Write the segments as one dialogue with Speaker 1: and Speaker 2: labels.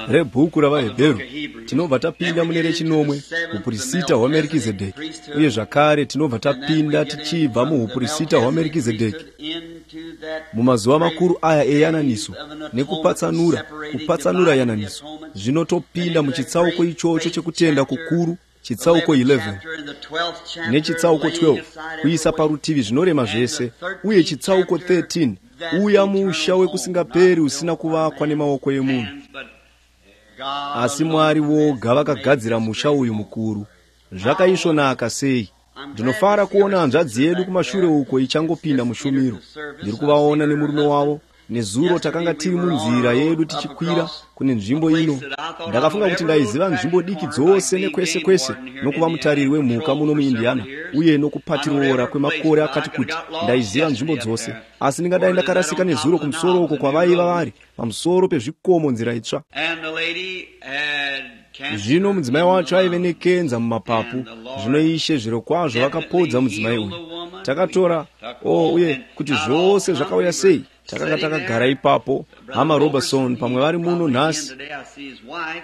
Speaker 1: rebhuku ravaHebheru tinobva tapinda mune rechinomwe upurisita hwaMerikizedheki, uye zvakare tinobva tapinda tichibva muupurisita hwaMerikizedheki mumazuva makuru aya eyananiso nekupatsanura yananiso. Zvino topinda muchitsauko ichocho chekutenda kukuru, chitsauko 11 nechitsauko 12 kuisa parutivi zvinorema zvese, uye chitsauko 13 uya musha wekusingaperi usina kuvakwa nemaoko emunhu, asi Mwari voga vakagadzira musha uyu mukuru. Zvakaisvonaka sei! Ndinofara kuona hanzvadzi yedu kumashure uko ichangopinda mushumiro. Ndiri kuvaona nemurume wavo. Nezuro takanga tiri munzira yedu tichikwira kune nzvimbo ino. Ndakafunga kuti ndaiziva nzvimbo diki dzose nekwese kwese, nokuva mutariri wemhuka muno muIndiana uye nokupatiroora kwemakore akati kuti ndaiziva nzvimbo dzose, asi ndingadai ndakarasika nezuro kumusoro uko kwavaiva vari pamusoro pezvikomo nzira itsva. Zvino mudzimai wacho aive nekenza mumapapu. Zvino Ishe zviro kwazvo vakapodza mudzimai uyu. Takatora uye kuti zvose zvakauya sei, takanga takagara ipapo, hama Robertson pamwe vari muno nhasi.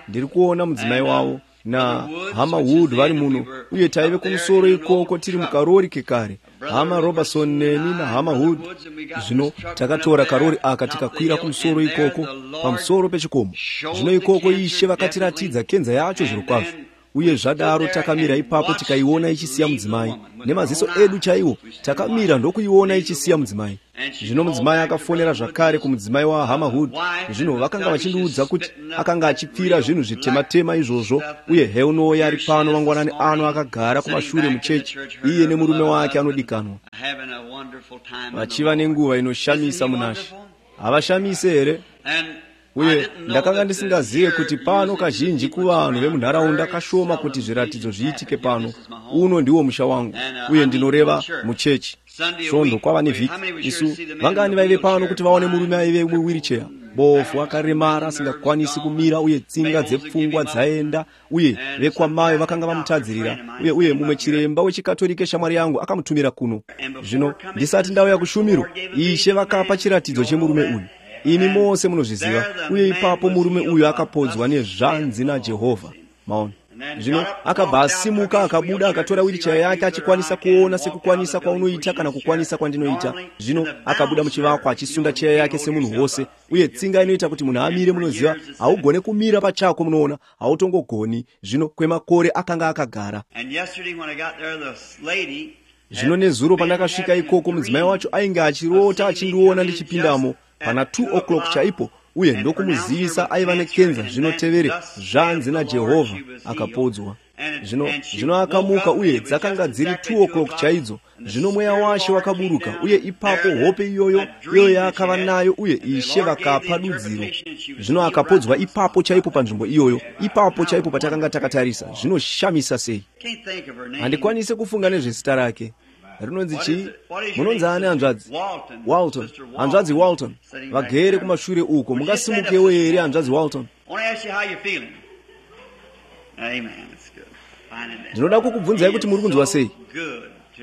Speaker 1: Ndiri kuona mudzimai wavo na hama Wood vari muno, uye taive kumusoro ikoko tiri mukarori kekare, hama Robertson neni na hama Wood. Zvino takatora karori aka tikakwira kumusoro ikoko pamusoro pechikomo. Zvino ikoko Ishe vakatiratidza kenza yacho zviro kwazvo, uye zvadaro takamira ipapo tikaiona ichisiya mudzimai. Nemaziso edu chaiwo takamira ndokuiona ichisiya mudzimai. Zvino mudzimai akafonera zvakare kumudzimai wahama Hood. Zvino vakanga vachindiudza kuti akanga achipfira zvinhu zvitema-tema izvozvo, uye heunoya ari pano mangwanani ano akagara kumashure muchechi, iye nemurume wake anodikanwa, vachiva nenguva inoshamisa munashe. Havashamise here? Uye ndakanga ndisingazive kuti pano kazhinji kuvanhu vemunharaunda kashoma kuti zviratidzo zviitike pano. Uno ndiwo musha wangu, uye ndinoreva muchechi. Svondo kwava nevhiki. Isu vangani vaive pano kuti vaone murume aive muwheelchair, bofu akaremara asingakwanisi kumira, uye tsinga dzepfungwa dzaenda, uye vekwamai vakanga vamutadzirira, uye mumwe chiremba wechikatolike shamwari yangu akamutumira kuno. Zvino ndisati ndauya kushumiro, Ishe vakapa chiratidzo chemurume uyu. Ini mose munozviziva, uye ipapo murume uyu akapodzwa nezvanzi naJehovha. Maona. Zvino akabva asimuka akabuda akatora wheelchair yake achikwanisa kuona sekukwanisa kwaunoita kana kukwanisa kwandinoita. Zvino akabuda muchivakwa achisunda cheya yake semunhu wose, uye tsinga inoita kuti munhu amire munoziva, haugone kumira pachako munoona, hautongogoni. Zvino kwemakore akanga akagara. Zvino nezuro pandakasvika ikoko mudzimai wacho ainge achirota achindiona ndichipindamo pana 2 o'clock chaipo, uye ndokumuzivisa aiva nekenza. Zvinotevere zvanzi naJehovha akapodzwa. Zvino akamuka, uye dzakanga dziri 2 o'clock chaidzo. Zvino mweya washe wakaburuka, uye ipapo hope iyoyo yakava nayo, uye Ishe vakapa dudziro. Zvino akapodzwa ipapo chaipo panzvimbo iyoyo, ipapo chaipo patakanga takatarisa. Zvinoshamisa sei! Handikwanise kufunga nezvezita rake. Rinonzi chii? Munonzi ani hanzvadzi? Walton. Hanzvadzi Walton. Vagere kumashure uko. Mungasimukewo here hanzvadzi Walton? Ndinoda kukubvunzai kuti muri kunzwa sei?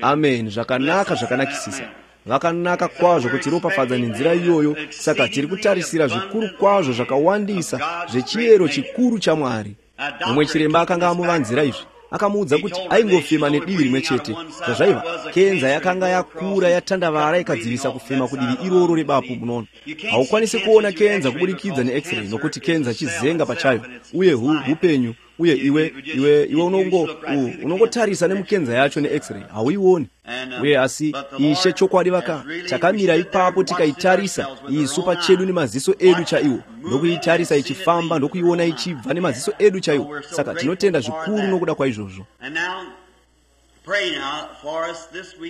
Speaker 1: Amen. Zvakanaka, zvakanakisisa. Vakanaka kwazvo kuti ropafadza nenzira iyoyo. Saka tiri kutarisira zvikuru kwazvo zvakawandisa zvechiyero chikuru chaMwari. Mumwe chiremba akanga amuvanzira izvi. Akamuudza kuti aingofema nedivi rimwe chete. Zvazvaiva, kenza yakanga yakura yatandavara ikadzivisa kufema kudivi iroro rebapu. Munoona, haukwanisi kuona kenza kuburikidza neX-ray, nokuti kenza chizenga pachayo, uye hupenyu, uye iwe unongotarisa nemukenza yacho neX-ray, hauioni. Uye asi Ishe chokwadi takamira ipapo tikaitarisa isu pachedu nemaziso edu chaiwo, ndokuitarisa ichifamba, ndokuiona ichibva nemaziso edu chaiwo. Saka tinotenda zvikuru nokuda kwaizvozvo.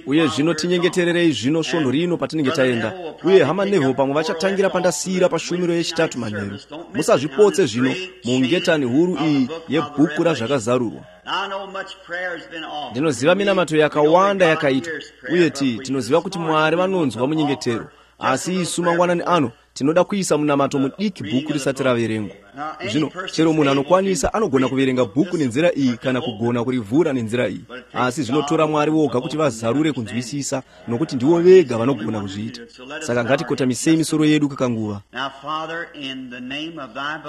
Speaker 1: Uye zvino tinyengetererei zvino svondo rino patinenge taenda, uye hama Neville pamwe vachatangira pandasira pashumiro yechitatu manheru. Musazvipotse zvino mungetani huru iyi yebhuku razvakazarurwa. Ndinoziva minamato yakawanda yakaitwa, uye tinoziva kuti Mwari vanonzwa munyengetero. Asi isu mangwanani ano tinoda kuisa munamato mudiki bhuku risati raverengwa. Zvino chero munhu anokwanisa anogona kuverenga bhuku nenzira iyi kana kugona kurivhura nenzira iyi, asi zvinotora Mwari woga kuti vazarure kunzwisisa, nokuti ndivo vega vanogona kuzviita. Saka ngatikotamisei misoro yedu kakanguva.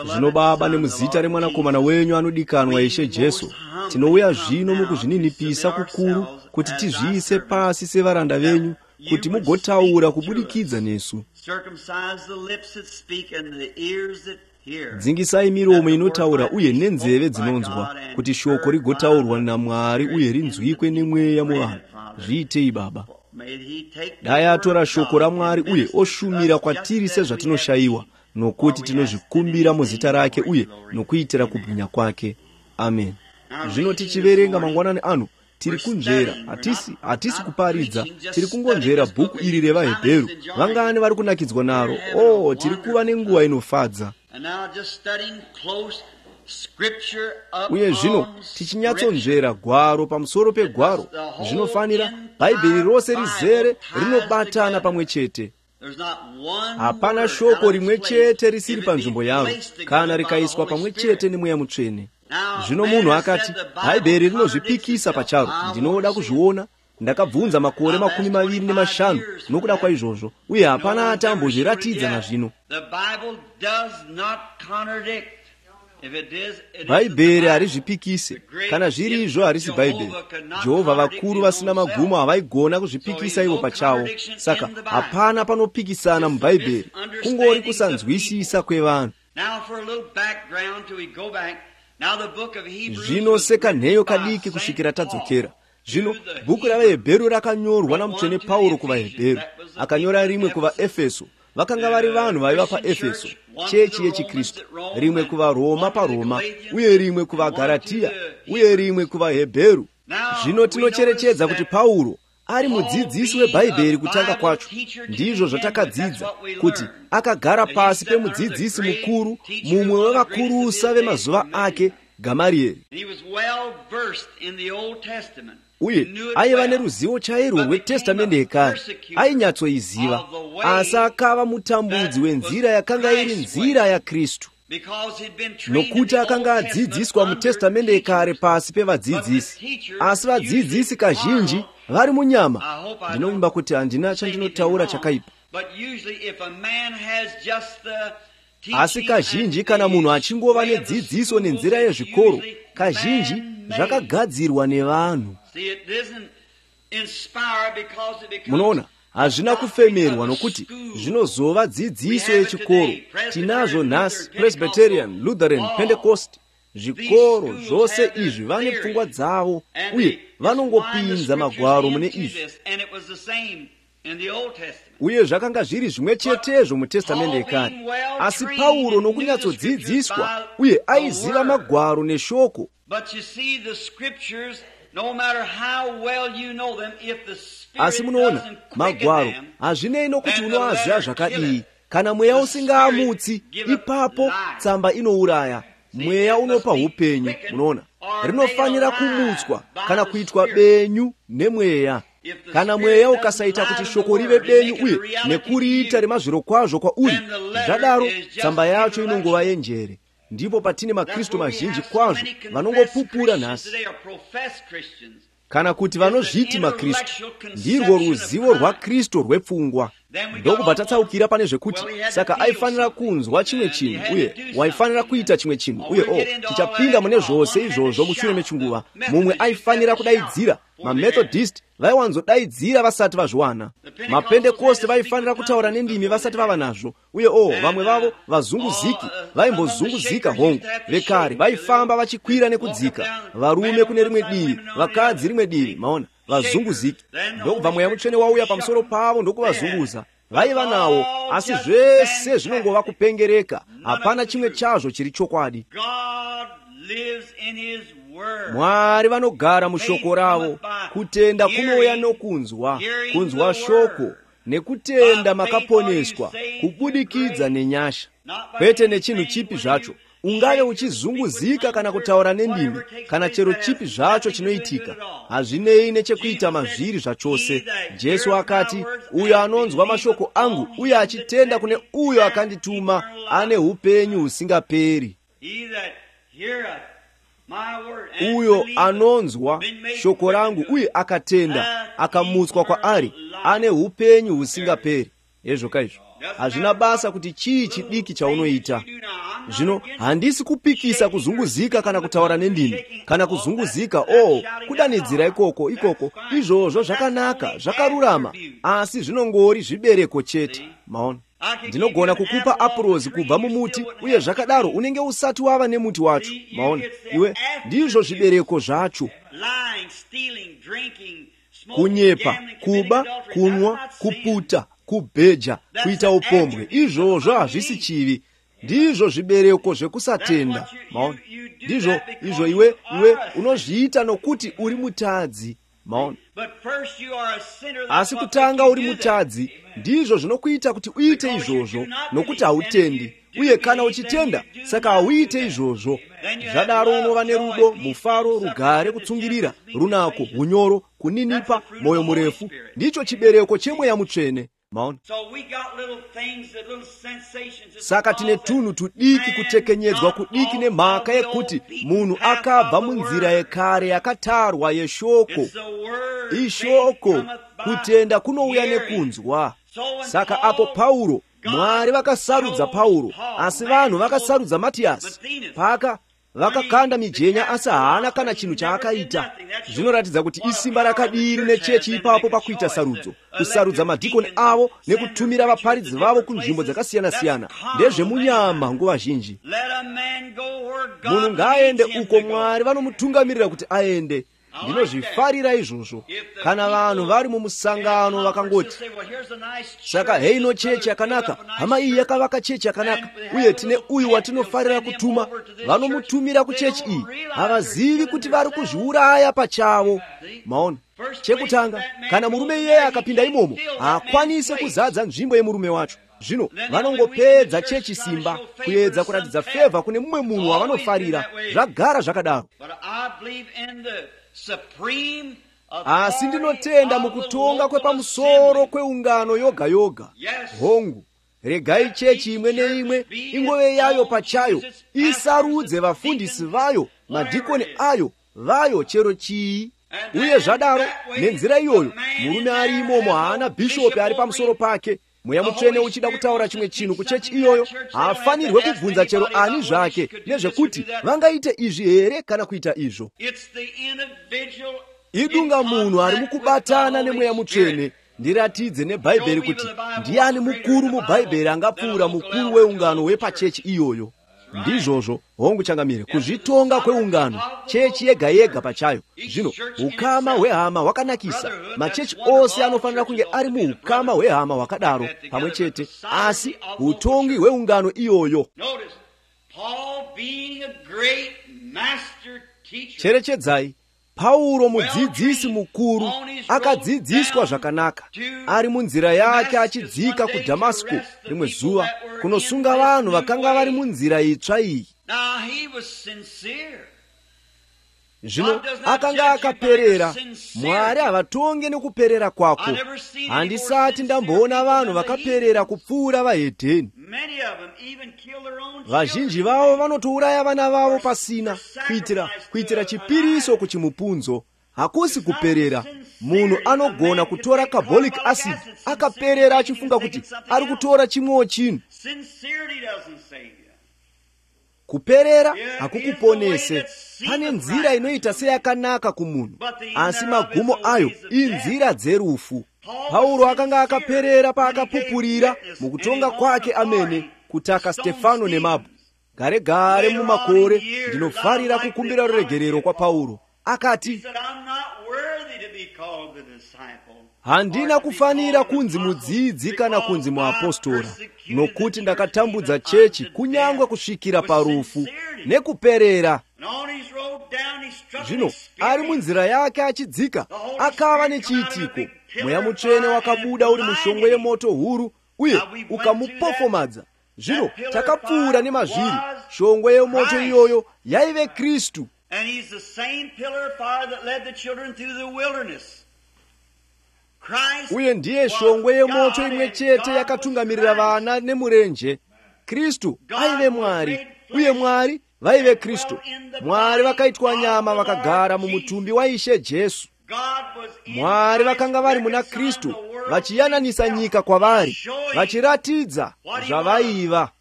Speaker 1: Zvino Baba, nemuzita remwanakomana wenyu anodikanwa Ishe Jesu, tinouya zvino mukuzvininipisa kukuru kuti tizviise pasi sevaranda venyu, kuti mugotaura kubudikidza nesu. Dzingisai miromo inotaura uye nenzeve dzinonzwa, kuti shoko rigotaurwa naMwari uye rinzwikwe nemweya muvanhu. Zviitei Baba. Dai atora shoko raMwari uye oshumira kwatiri sezvatinoshayiwa, nokuti tinozvikumbira muzita rake uye nokuitira kubwinya kwake. Amen. Zvino tichiverenga mangwanani ano, tiri kunzvera, hatisi kuparidza, tiri kungonzvera bhuku iri revaHebheru. Vangani vari kunakidzwa naro? Tiri kuva nenguva inofadza. Uye zvino tichinyatsonzvera gwaro pamusoro pegwaro, zvinofanira Bhaibheri rose rizere rinobatana pamwe chete. Hapana shoko rimwe chete risiri panzvimbo yaro kana rikaiswa pamwe chete nemweya mutsvene. Zvino munhu akati, Bhaibheri rinozvipikisa pacharo. Ndinoda kuzviona. Ndakabvunza makore 25 nokuda kwaizvozvo, uye hapana atambozviratidza nazvino. Bhaibheri harizvipikise. Kana zviri izvo harisi Bhaibheri. Jehovha vakuru vasina magumo havaigona kuzvipikisa ivo pachavo. Saka hapana panopikisana muBhaibheri, kungori kusanzwisisa kwevanhu. Zvino sekanheyo kadiki kusvikira tadzokera. Zvino bhuku ravaHebheru rakanyorwa namutsvene Pauro kuvaHebheru, akanyora rimwe kuvaEfeso. Vakanga vari vanhu vaiva paEfeso, chechi yechiKristu, rimwe kuvaRoma paRoma, uye rimwe kuvaGaratiya, uye rimwe kuvaHebheru. Zvino tinocherechedza kuti Pauro ari mudzidzisi weBhaibheri kutanga kwacho. Ndizvo zvatakadzidza, kuti akagara pasi pemudzidzisi mukuru, mumwe wevakurusa vemazuva ake, Gamarieri. Uye aiva neruzivo chairwo rweTestamende yekare, ainyatsoiziva, asi akava mutambudzi wenzira yakanga iri nzira yaKristu. Nokuti akanga adzidziswa muTestamende yekare pasi pevadzidzisi, asi vadzidzisi kazhinji vari munyama. Ndinovimba kuti handina chandinotaura chakaipa. Asi kazhinji kana munhu achingova nedzidziso nenzira yezvikoro, kazhinji zvakagadzirwa nevanhu. Munoona, hazvina kufemerwa nokuti zvinozova dzidziso yechikoro. Tinazvo nhasi Presbyterian, Lutheran, Pentecost. Zvikoro zvose izvi vane pfungwa dzavo uye vanongopinza magwaro mune izvi. Uye zvakanga zviri zvimwe chetezvo muTestamende yekare. Asi Pauro nokunyatsodzidziswa uye aiziva magwaro neshoko. Asi munoona, magwaro hazvinei nokuti unoaziva zvakadii. Kana mweya usingaamutsi, ipapo tsamba inouraya. Mweya unopa upenyu, munoona. Rinofanira kumutswa kana kuitwa benyu nemweya. Kana mweya ukasaita kuti shoko rive benyu uye nekuriita remazviro kwazvo kwauri, zvadaro tsamba yacho inongova yenjere. Ndipo patine maKristu mazhinji kwazvo vanongopupura nhasi. Kana kuti vanozviti maKristu, ndirwo ruzivo rwaKristu rwepfungwa. Ndokubva tatsaukira pane zvekuti, saka aifanira kunzwa chimwe chinhu uye waifanira kuita chimwe chinhu, uye tichapinda mune zvose izvozvo mushure mechinguva. Mumwe aifanira kudaidzira. MaMethodist vaiwanzodaidzira vasati vazviwana. MaPentekoste vaifanira kutaura nendimi vasati vava nazvo, uye vamwe vavo vazunguziki vaimbozunguzika hongu. Vekare vaifamba vachikwira nekudzika, varume kune rimwe divi, vakadzi rimwe divi, maona, vazunguziki. Ndokubva mweya mutsvene wauya pamusoro pavo ndokuvazunguza. Vaiva nawo, asi zvese zvinongova kupengereka. Hapana chimwe chazvo chiri chokwadi. Mwari vanogara mushoko ravo. Kutenda kunouya nokunzwa, kunzwa shoko, nekutenda makaponeswa, kubudikidza nenyasha. Kwete nechinhu chipi zvacho, ungave uchizunguzika kana kutaura nendimi kana chero chipi zvacho chinoitika, hazvinei nechekuita mazviri zvachose. Jesu akati, uyo anonzwa mashoko angu uye achitenda kune uyo akandituma ane upenyu husingaperi. Uyo anonzwa shoko rangu uye akatenda akamutswa kwaari ane upenyu husingaperi. Ezvo izvo hazvina basa kuti chii chidiki chaunoita. Zvino handisi kupikisa kuzunguzika kana kutaura nendimi kana kuzunguzika kudanidzira ikoko izvozvo zvakanaka, zvakarurama, asi zvinongori zvibereko chete. Maona, ndinogona kukupa apurozi kubva mumuti uye zvakadaro unenge usati wava nemuti wacho. Maona, iwe ndizvo zvibereko zvacho. Kunyepa, kuba, kunwa, kuputa, kubheja, kuita upombwe, izvozvo hazvisi chivi. Ndizvo zvibereko zvekusatenda. Maona, ndizvo izvo iwe unozviita nokuti uri mutadzi. Maona, asi kutanga uri mutadzi ndizvo zvinokuita kuti uite izvozvo nokuti hautendi, uye kana uchitenda saka hauite izvozvo. Zvadaro unova nerudo, mufaro, rugare, kutsungirira, runako, unyoro, kuninipa, moyo murefu. Ndicho chibereko chemweya mutsvene. Maona, saka tine tunhu tudiki, kutekenyedzwa kudiki nemhaka yekuti munhu akabva munzira yekare yakatarwa yeshoko. Ishoko, kutenda kunouya nekunzwa. Saka apo Pauro, Mwari vakasarudza Pauro, asi vanhu vakasarudza Matiyasi. Vakakanda mijenya asi haana kana chinhu chaakaita. Zvinoratidza kuti isimba rakadiri nechechi ipapo pakuita sarudzo, kusarudza madhikoni avo nekutumira vaparidzi vavo kunzvimbo dzakasiyana-siyana. Ndezvemunyama nguva zhinji. Munhu ngaaende uko Mwari vanomutungamirira kuti aende. Ndinozvifarira izvozvo. Kana vanhu vari mumusangano vakangoti, saka heino chechi yakanaka, hama iyi yakavaka chechi yakanaka, uye tine uyu watinofarira kutuma, vanomutumira kuchechi iyi, havazivi kuti vari kuzviuraya pachavo. Maona, chekutanga, kana murume iyeye akapinda imomo, haakwanise kuzadza nzvimbo yemurume wacho. Zvino vanongopedza chechi simba, kuedza kuratidza fevha kune mumwe munhu wavanofarira. Zvagara zvakadaro. Asi ndinotenda mukutonga kwepamusoro kweungano yoga yoga. Hongu, regai chechi imwe neimwe ingove yayo pachayo, isarudze vafundisi vayo, madhikoni ayo, vayo chero chii. Uye zvadaro, nenzira iyoyo, murume ari imomo haana bhishopi ari pamusoro pake. Mweya mutsvene uchida kutaura chimwe chinhu kuchechi iyoyo, haafanirwe kubvunza chero ani zvake nezvekuti vangaite izvi here kana kuita izvo. Idunga munhu ari mukubatana nemweya mutsvene. Ndiratidze neBhaibheri kuti ndiani mukuru muBhaibheri angapfuura mukuru weungano wepachechi iyoyo. Ndizvozvo, hongu changamire, kuzvitonga kweungano, chechi yega yega pachayo. Zvino, ukama hwehama hwakanakisa. Machechi ose anofanira kunge ari muukama hwehama hwakadaro pamwe chete, asi utongi hweungano iyoyo. Cherechedzai, Pauro mudzidzisi mukuru akadzidziswa zvakanaka, ari munzira yake achidzika kuDhamasiko rimwe zuva kunosunga vanhu vakanga vari munzira itsva iyi. Zvino akanga akaperera. Mwari havatonge nekuperera kwako. Handisati ndamboona vanhu vakaperera kupfuura vahedheni. Vazhinji vavo vanotouraya vana vavo pasina, kuitira chipiriso kuchimupunzo. Hakusi kuperera. Munhu anogona kutora carbolic acid akaperera achifunga kuti ari kutora chimwewo chinhu. Kuperera hakukuponese. Pane nzira inoita seyakanaka kumunhu, asi magumo ayo inzira dzerufu. Pauro akanga akaperera paakapupurira mukutonga kwake amene kutaka Stefano nemabwe. Gare mumakore ndinofarira kukumbira ruregerero kwa Pauro. Akati, handina kufanira kunzi mudzidzi kana kunzi muapostora, nokuti ndakatambudza chechi kunyangwe kusvikira parufu nekuperera. Zvino ari munzira yake achidzika, akava nechiitiko. Mweya mutsvene wakabuda uri mushongwe yemoto huru uye ukamupofomadza. Zvino takapfuura nemazviri. shongwe yomoto iyoyo yaive Khristu.
Speaker 2: And he's the same pillar of fire that led the children through the wilderness. Christ
Speaker 1: Uye ndiye shongwe yomoto imwe chete yakatungamirira vana nemurenje. Khristu aive Mwari, uye Mwari vaive Khristu. Mwari vakaitwa nyama vakagara mumutumbi wa Ishe Jesu. Mwari vakanga vari muna Khristu, vachiyananisa nyika kwavari, vachiratidza zvavaiva.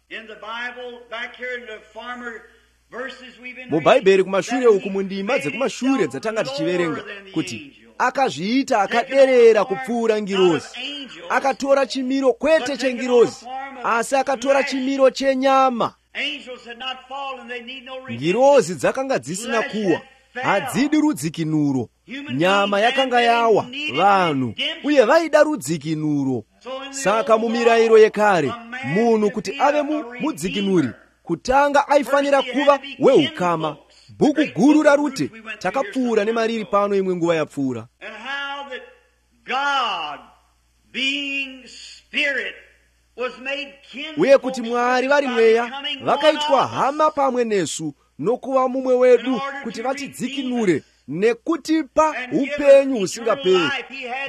Speaker 1: Mubhaibheri kumashure uku mundima dzekumashure dzatanga tichiverenga kuti akazviita akaderera kupfuura ngirozi. Akatora chimiro kwete chengirozi, asi akatora chimiro chenyama. Ngirozi dzakanga dzisina kuwa, hadzidi rudzikinuro. Nyama yakanga yawa vanhu, uye vaida rudzikinuro. Saka mumirayiro yekare, munhu kuti ave mudzikinuri, kutanga aifanira kuva weukama. Bhuku guru raRute takapfuura nemariri pano imwe nguva yapfuura. Uye kuti Mwari vari mweya vakaitwa hama pamwe nesu nokuva mumwe wedu kuti vatidzikinure nekutipa upenyu husingaperi.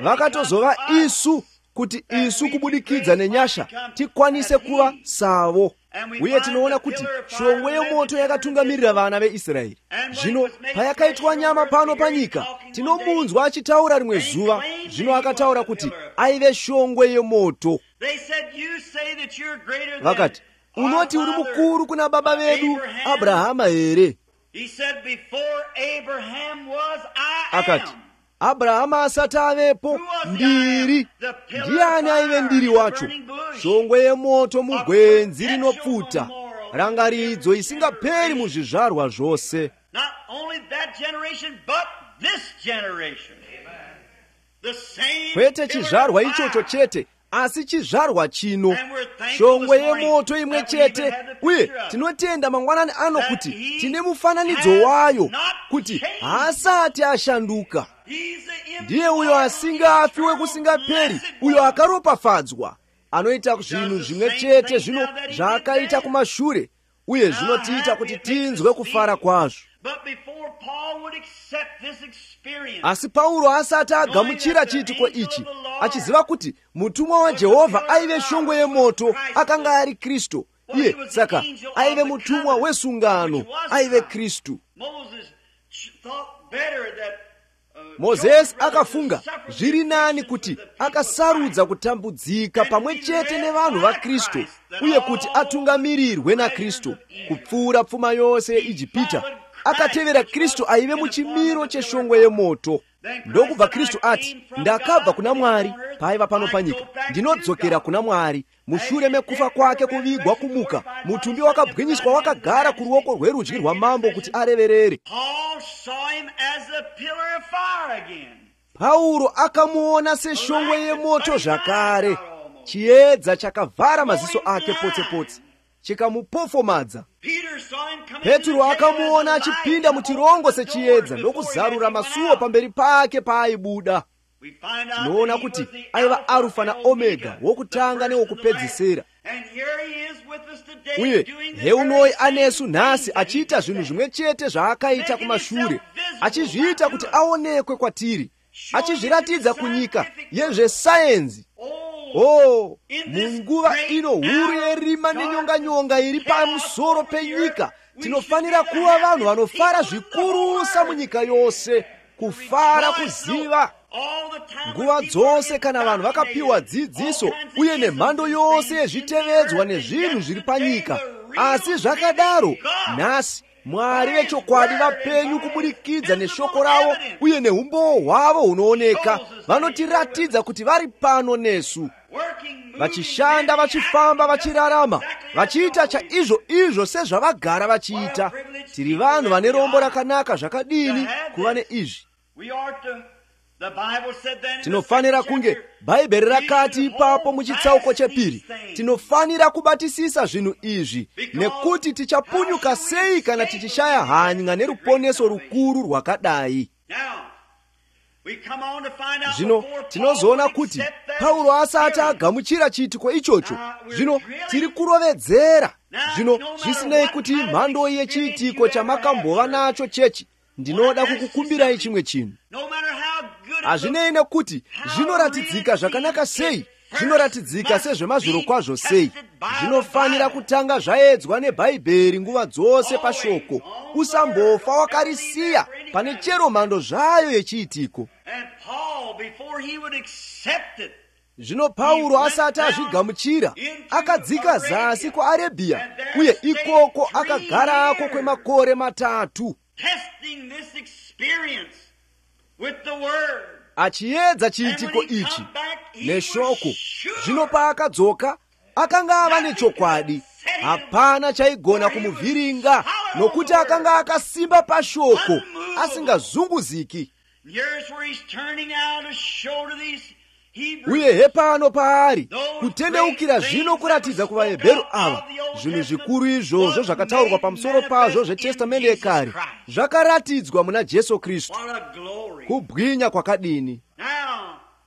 Speaker 1: Vakatozova isu kuti isu kubudikidza nenyasha tikwanise kuva savo. Uye tinoona kuti shongwe yomoto yakatungamirira vana veIsraeri. Zvino payakaitwa nyama pano panyika, tinomunzwa achitaura rimwe zuva. Zvino akataura kuti aive shongwe yomoto. Vakati, unoti uri mukuru kuna baba vedu Abrahama here? Akati, Abrahama asati avepo, ndiri. Ndiani aive ndiri wacho? Shongwe yemoto mugwenzi rinopfuta, rangaridzo isingaperi muzvizvarwa zvose. Kwete chizvarwa ichocho chete, asi chizvarwa chino. Shongwe yemoto imwe chete. Uye tinotenda mangwanani ano kuti tine mufananidzo wayo, kuti haasati ashanduka. Ndiye uyo asingafi wekusingaperi, uyo akaropafadzwa, anoita zvinhu zvimwe chete zvino zvaakaita kumashure, uye zvinotiita kuti tinzwe kufara kwazvo. Asi Pauro asati agamuchira chiitiko ichi, achiziva kuti mutumwa waJehovha aive shongwe yemoto, akanga ari Kristu. Iye saka aive mutumwa wesungano, aive Kristu. Mozesi akafunga zviri nani kuti akasarudza kutambudzika pamwe chete nevanhu vaKristu, uye kuti atungamirirwe naKristu kupfuura pfuma yose yeIjipita. Akatevera Kristu aive muchimiro cheshongwe yemoto. Ndokubva Kristu ati, ndakabva kuna Mwari paiva pano panyika, ndinodzokera kuna Mwari. Mushure mekufa kwake kuvigwa kumuka, mutumbi wakabwinyiswa wakagara kuruoko rwerudyi rwamambo kuti areverere. Pauro akamuona seshongwe yemoto zvakare. Chiedza chakavhara maziso ake potse-potse, chikamupofomadza. Petro akamuona achipinda muchirongo sechiedza ndokuzarura masuo pamberi pake paaibuda. Tinoona kuti aiva Arufa na Omega, wokutanga newokupedzisira. Uye heunoi anesu nhasi achiita zvinhu zvimwe chete zvaakaita kumashure, achizviita kuti aonekwe kwatiri, achizviratidza kunyika yezvesayenzi. Munguva ino huru yerima nenyonganyonga iri pamusoro penyika, tinofanira kuva vanhu vanofara zvikurusa munyika yose, kufara kuziva. Nguva dzose kana vanhu vakapiwa dzidziso uye nemhando yose yezvitevedzwa nezvinhu zviri panyika, asi zvakadaro nhasi Mwari vechokwadi vapenyu kubudikidza neshoko ravo uye neumbowo hwavo hunooneka, vanotiratidza kuti vari pano nesu, vachishanda, vachifamba, vachirarama, vachiita chaizvo sezvavagara vachiita. Tiri vanhu vane rombo rakanaka zvakadini kuva neizvi. Tinofanira kunge, Bhaibheri rakati ipapo muchitsauko chepiri, tinofanira kubatisisa zvinhu izvi, nekuti tichapunyuka sei kana tichishaya hanya neruponeso rukuru rwakadai. Zvino tinozoona kuti Pauro asati agamuchira chiitiko ichocho, zvino tiri kurovedzera Zvino zvisinei kuti mhando yechiitiko chamakambova nacho chechi, ndinoda kukukumbirai chimwe chinhu. Hazvinei nekuti zvinoratidzika zvakanaka sei, zvinoratidzika sezvemazviro kwazvo sei, zvinofanira kutanga zvaedzwa neBhaibheri nguva dzose pashoko. Usambofa wakarisiya pane chero mhando zvayo yechiitiko. Zvino Pauro asati azvigamuchira, akadzika zasi kuArebhiya, uye ikoko akagarako kwemakore 3, achiedza chiitiko ichi neshoko. Zvino paakadzoka, akanga ava nechokwadi. Hapana chaigona kumuvhiringa, nokuti akanga akasimba pashoko, asingazunguziki. Uye hepano paari kutendeukira zvino kuratidza kuvaHebheru ava zvinhu zvikuru izvozvo zvakataurwa pamusoro pazvo zvetestamende yekare zvakaratidzwa muna Jesu Kristu. Kubwinya kwakadini!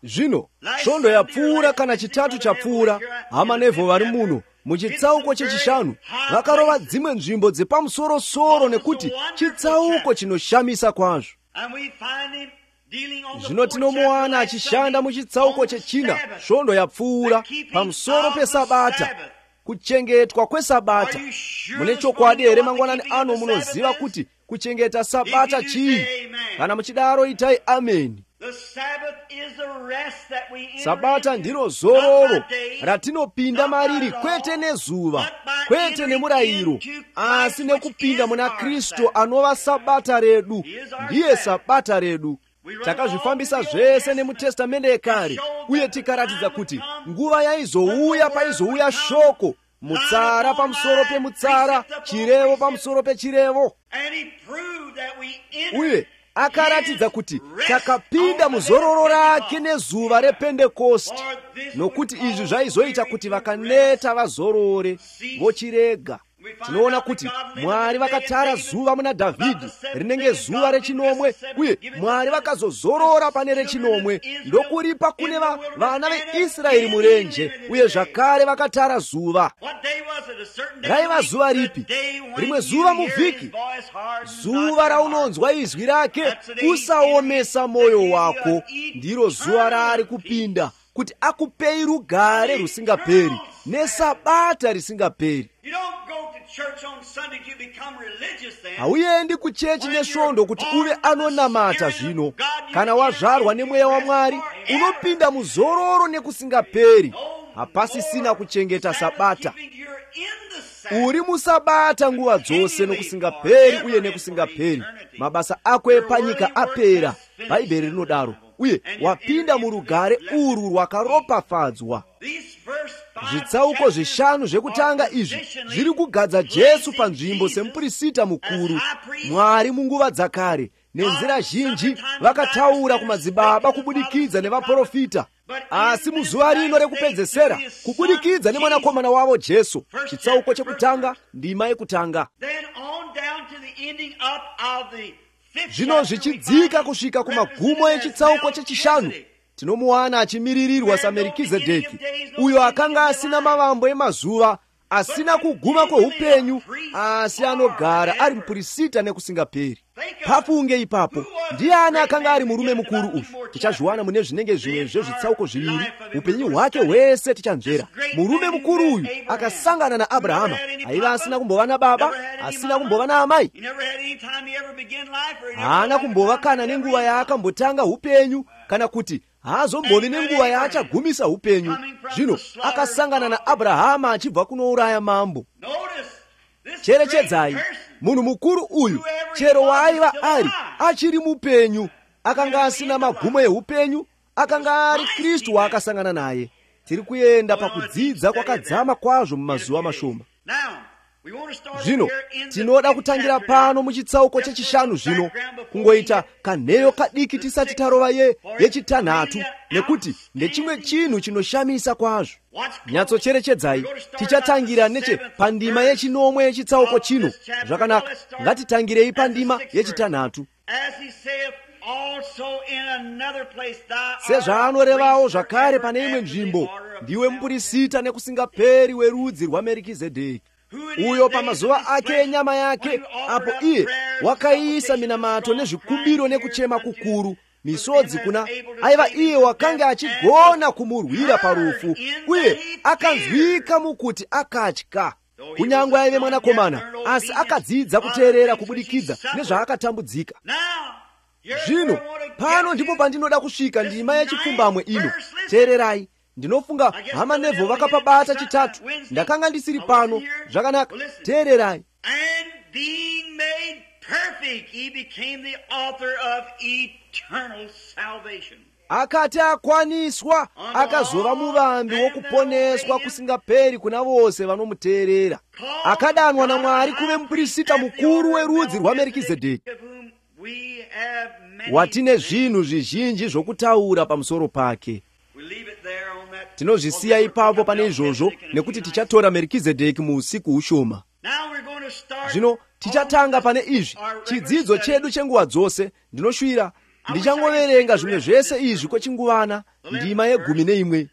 Speaker 1: Zvino svondo yapfuura kana chitatu chapfuura, hama nevho vari muno muchitsauko chechishanu vakarova dzimwe nzvimbo dzepamusoro-soro, nekuti chitsauko chinoshamisa kwazvo. Zvino tinomuwana achishanda muchitsauko chechina, svondo yapfuura, pamusoro peSabata, kuchengetwa kweSabata. Mune chokwadi here mangwanani ano munoziva kuti kuchengeta Sabata chii? Kana muchidaro itai ameni. Sabata ndiro zororo ratinopinda mariri, kwete nezuva, kwete nemurayiro, asi nekupinda muna Kristu anova Sabata redu. Ndiye Sabata redu. Takazvifambisa zvese nemutestamende yekare, uye tikaratidza kuti nguva yaizouya paizouya shoko, mutsara pamusoro pemutsara, chirevo pamusoro pechirevo. Uye akaratidza kuti takapinda muzororo rake nezuva rePentekosti, nokuti izvi zvaizoita kuti vakaneta vazorore vochirega. Tinoona kuti Mwari vakatara zuva muna Dhavhidhi rinenge zuva rechinomwe, uye Mwari vakazozorora pane rechinomwe ndokuripa kune vana veIsraeri murenje, uye zvakare vakatara zuva. Raiva zuva ripi? Rimwe zuva muvhiki, zuva raunonzwa izwi rake usaomesa mwoyo wako. Ndiro zuva raari kupinda kuti akupei rugare rusingaperi neSabata risingaperi. Hauendi kuchechi nesvondo kuti uve anonamata zvino. Kana wazvarwa nemweya waMwari, unopinda muzororo nekusingaperi. Hapasisina kuchengeta Sabata. Uri muSabata nguva dzose nokusingaperi uye nekusingaperi. Mabasa ako epanyika apera, Bhaibheri rinodaro, uye wapinda murugare urwu rwakaropafadzwa. Zvitsauko zvishanu zvekutanga izvi zviri kugadza Jesu panzvimbo semuprista mukuru. Mwari munguva dzakare nenzira zhinji vakataura kumadzibaba kubudikidza nevaprofita, asi muzuva rino rekupedzesera kubudikidza nemwanakomana wavo Jesu. Chitsauko chekutanga, ndima yekutanga. Zvino zvichidzika kusvika kumagumo echitsauko chechishanu, tinomuwana achimiririrwa saMerikizedheki, uyo akanga asina mavambo emazuva, asina kuguma kweupenyu, asi anogara ari muprista nekusingaperi. Pafunge ipapo, ndiani akanga ari murume mukuru uyu? Tichazviwana mune zvinenge zvimwezvo zvitsauko zviviri, upenyu hwake hwese tichanzvera. Murume mukuru uyu akasangana naAbhurahama, aiva asina kumbova nababa, asina kumbova naamai, haana kumbova kana nenguva yaakambotanga upenyu, kana kuti haazombovi nenguva yaachagumisa upenyu. Zvino akasangana naAbhurahama achibva kunouraya mambo. Cherechedzai, munhu mukuru uyu, chero waaiva ari achiri mupenyu, akanga asina magumo eupenyu, akanga ari Kristu waakasangana naye. Tiri kuenda pakudzidza kwakadzama kwazvo mumazuva mashoma. Zvino tinoda kutangira pano muchitsauko chechishanu zvino, kungoita kanheyo kadiki tisati tarova yechitanhatu, nekuti ndechimwe chinhu chinoshamisa kwazvo. Nyatsocherechedzai, tichatangira neche pandima yechinomwe yechitsauko chino. Zvakanaka, ngatitangirei pandima yechitanhatu. Sezvaanorevawo zvakare pane imwe nzvimbo, ndiwe muprista nekusingaperi werudzi rwaMerikizedheki. uyo pa mazuva ake enyama yake, apo iye wakayisa minamato nezvikumbiro nekuchema kukuru misodzi kuna aiva iye wakanga achigona kumurwira parufu, uye akanzwika mukuti akatya. Kunyangwe aive mwanakomana, asi akadzidza kuteerera kubudikidza nezvaakatambudzika. Zvino pano ndipo pandinoda kusvika ndima yechipfumbamwe ino. Teererai, ndinofunga hama Neville vakapabata chitatu. Ndakanga ndisiri pano. Zvakanaka. Teererai.
Speaker 2: And being made perfect, he became the author of eternal salvation.
Speaker 1: Akati akwaniswa, akazova muvambi wokuponeswa kusingaperi kuna vose vanomuteerera. Akadanwa naMwari kuve muprista mukuru werudzi rwaMerikizedheki, watine zvinhu zvizhinji zvokutaura pamusoro pake. Tinozvisiya ipapo pane izvozvo nekuti tichatora Merikizedheki muusiku ushoma. Zvino tichatanga pane izvi, chidzidzo chedu chenguva dzose. Ndinoshuvira ndichangoverenga zvimwe zvese izvi kwechinguvana, ndima ye11.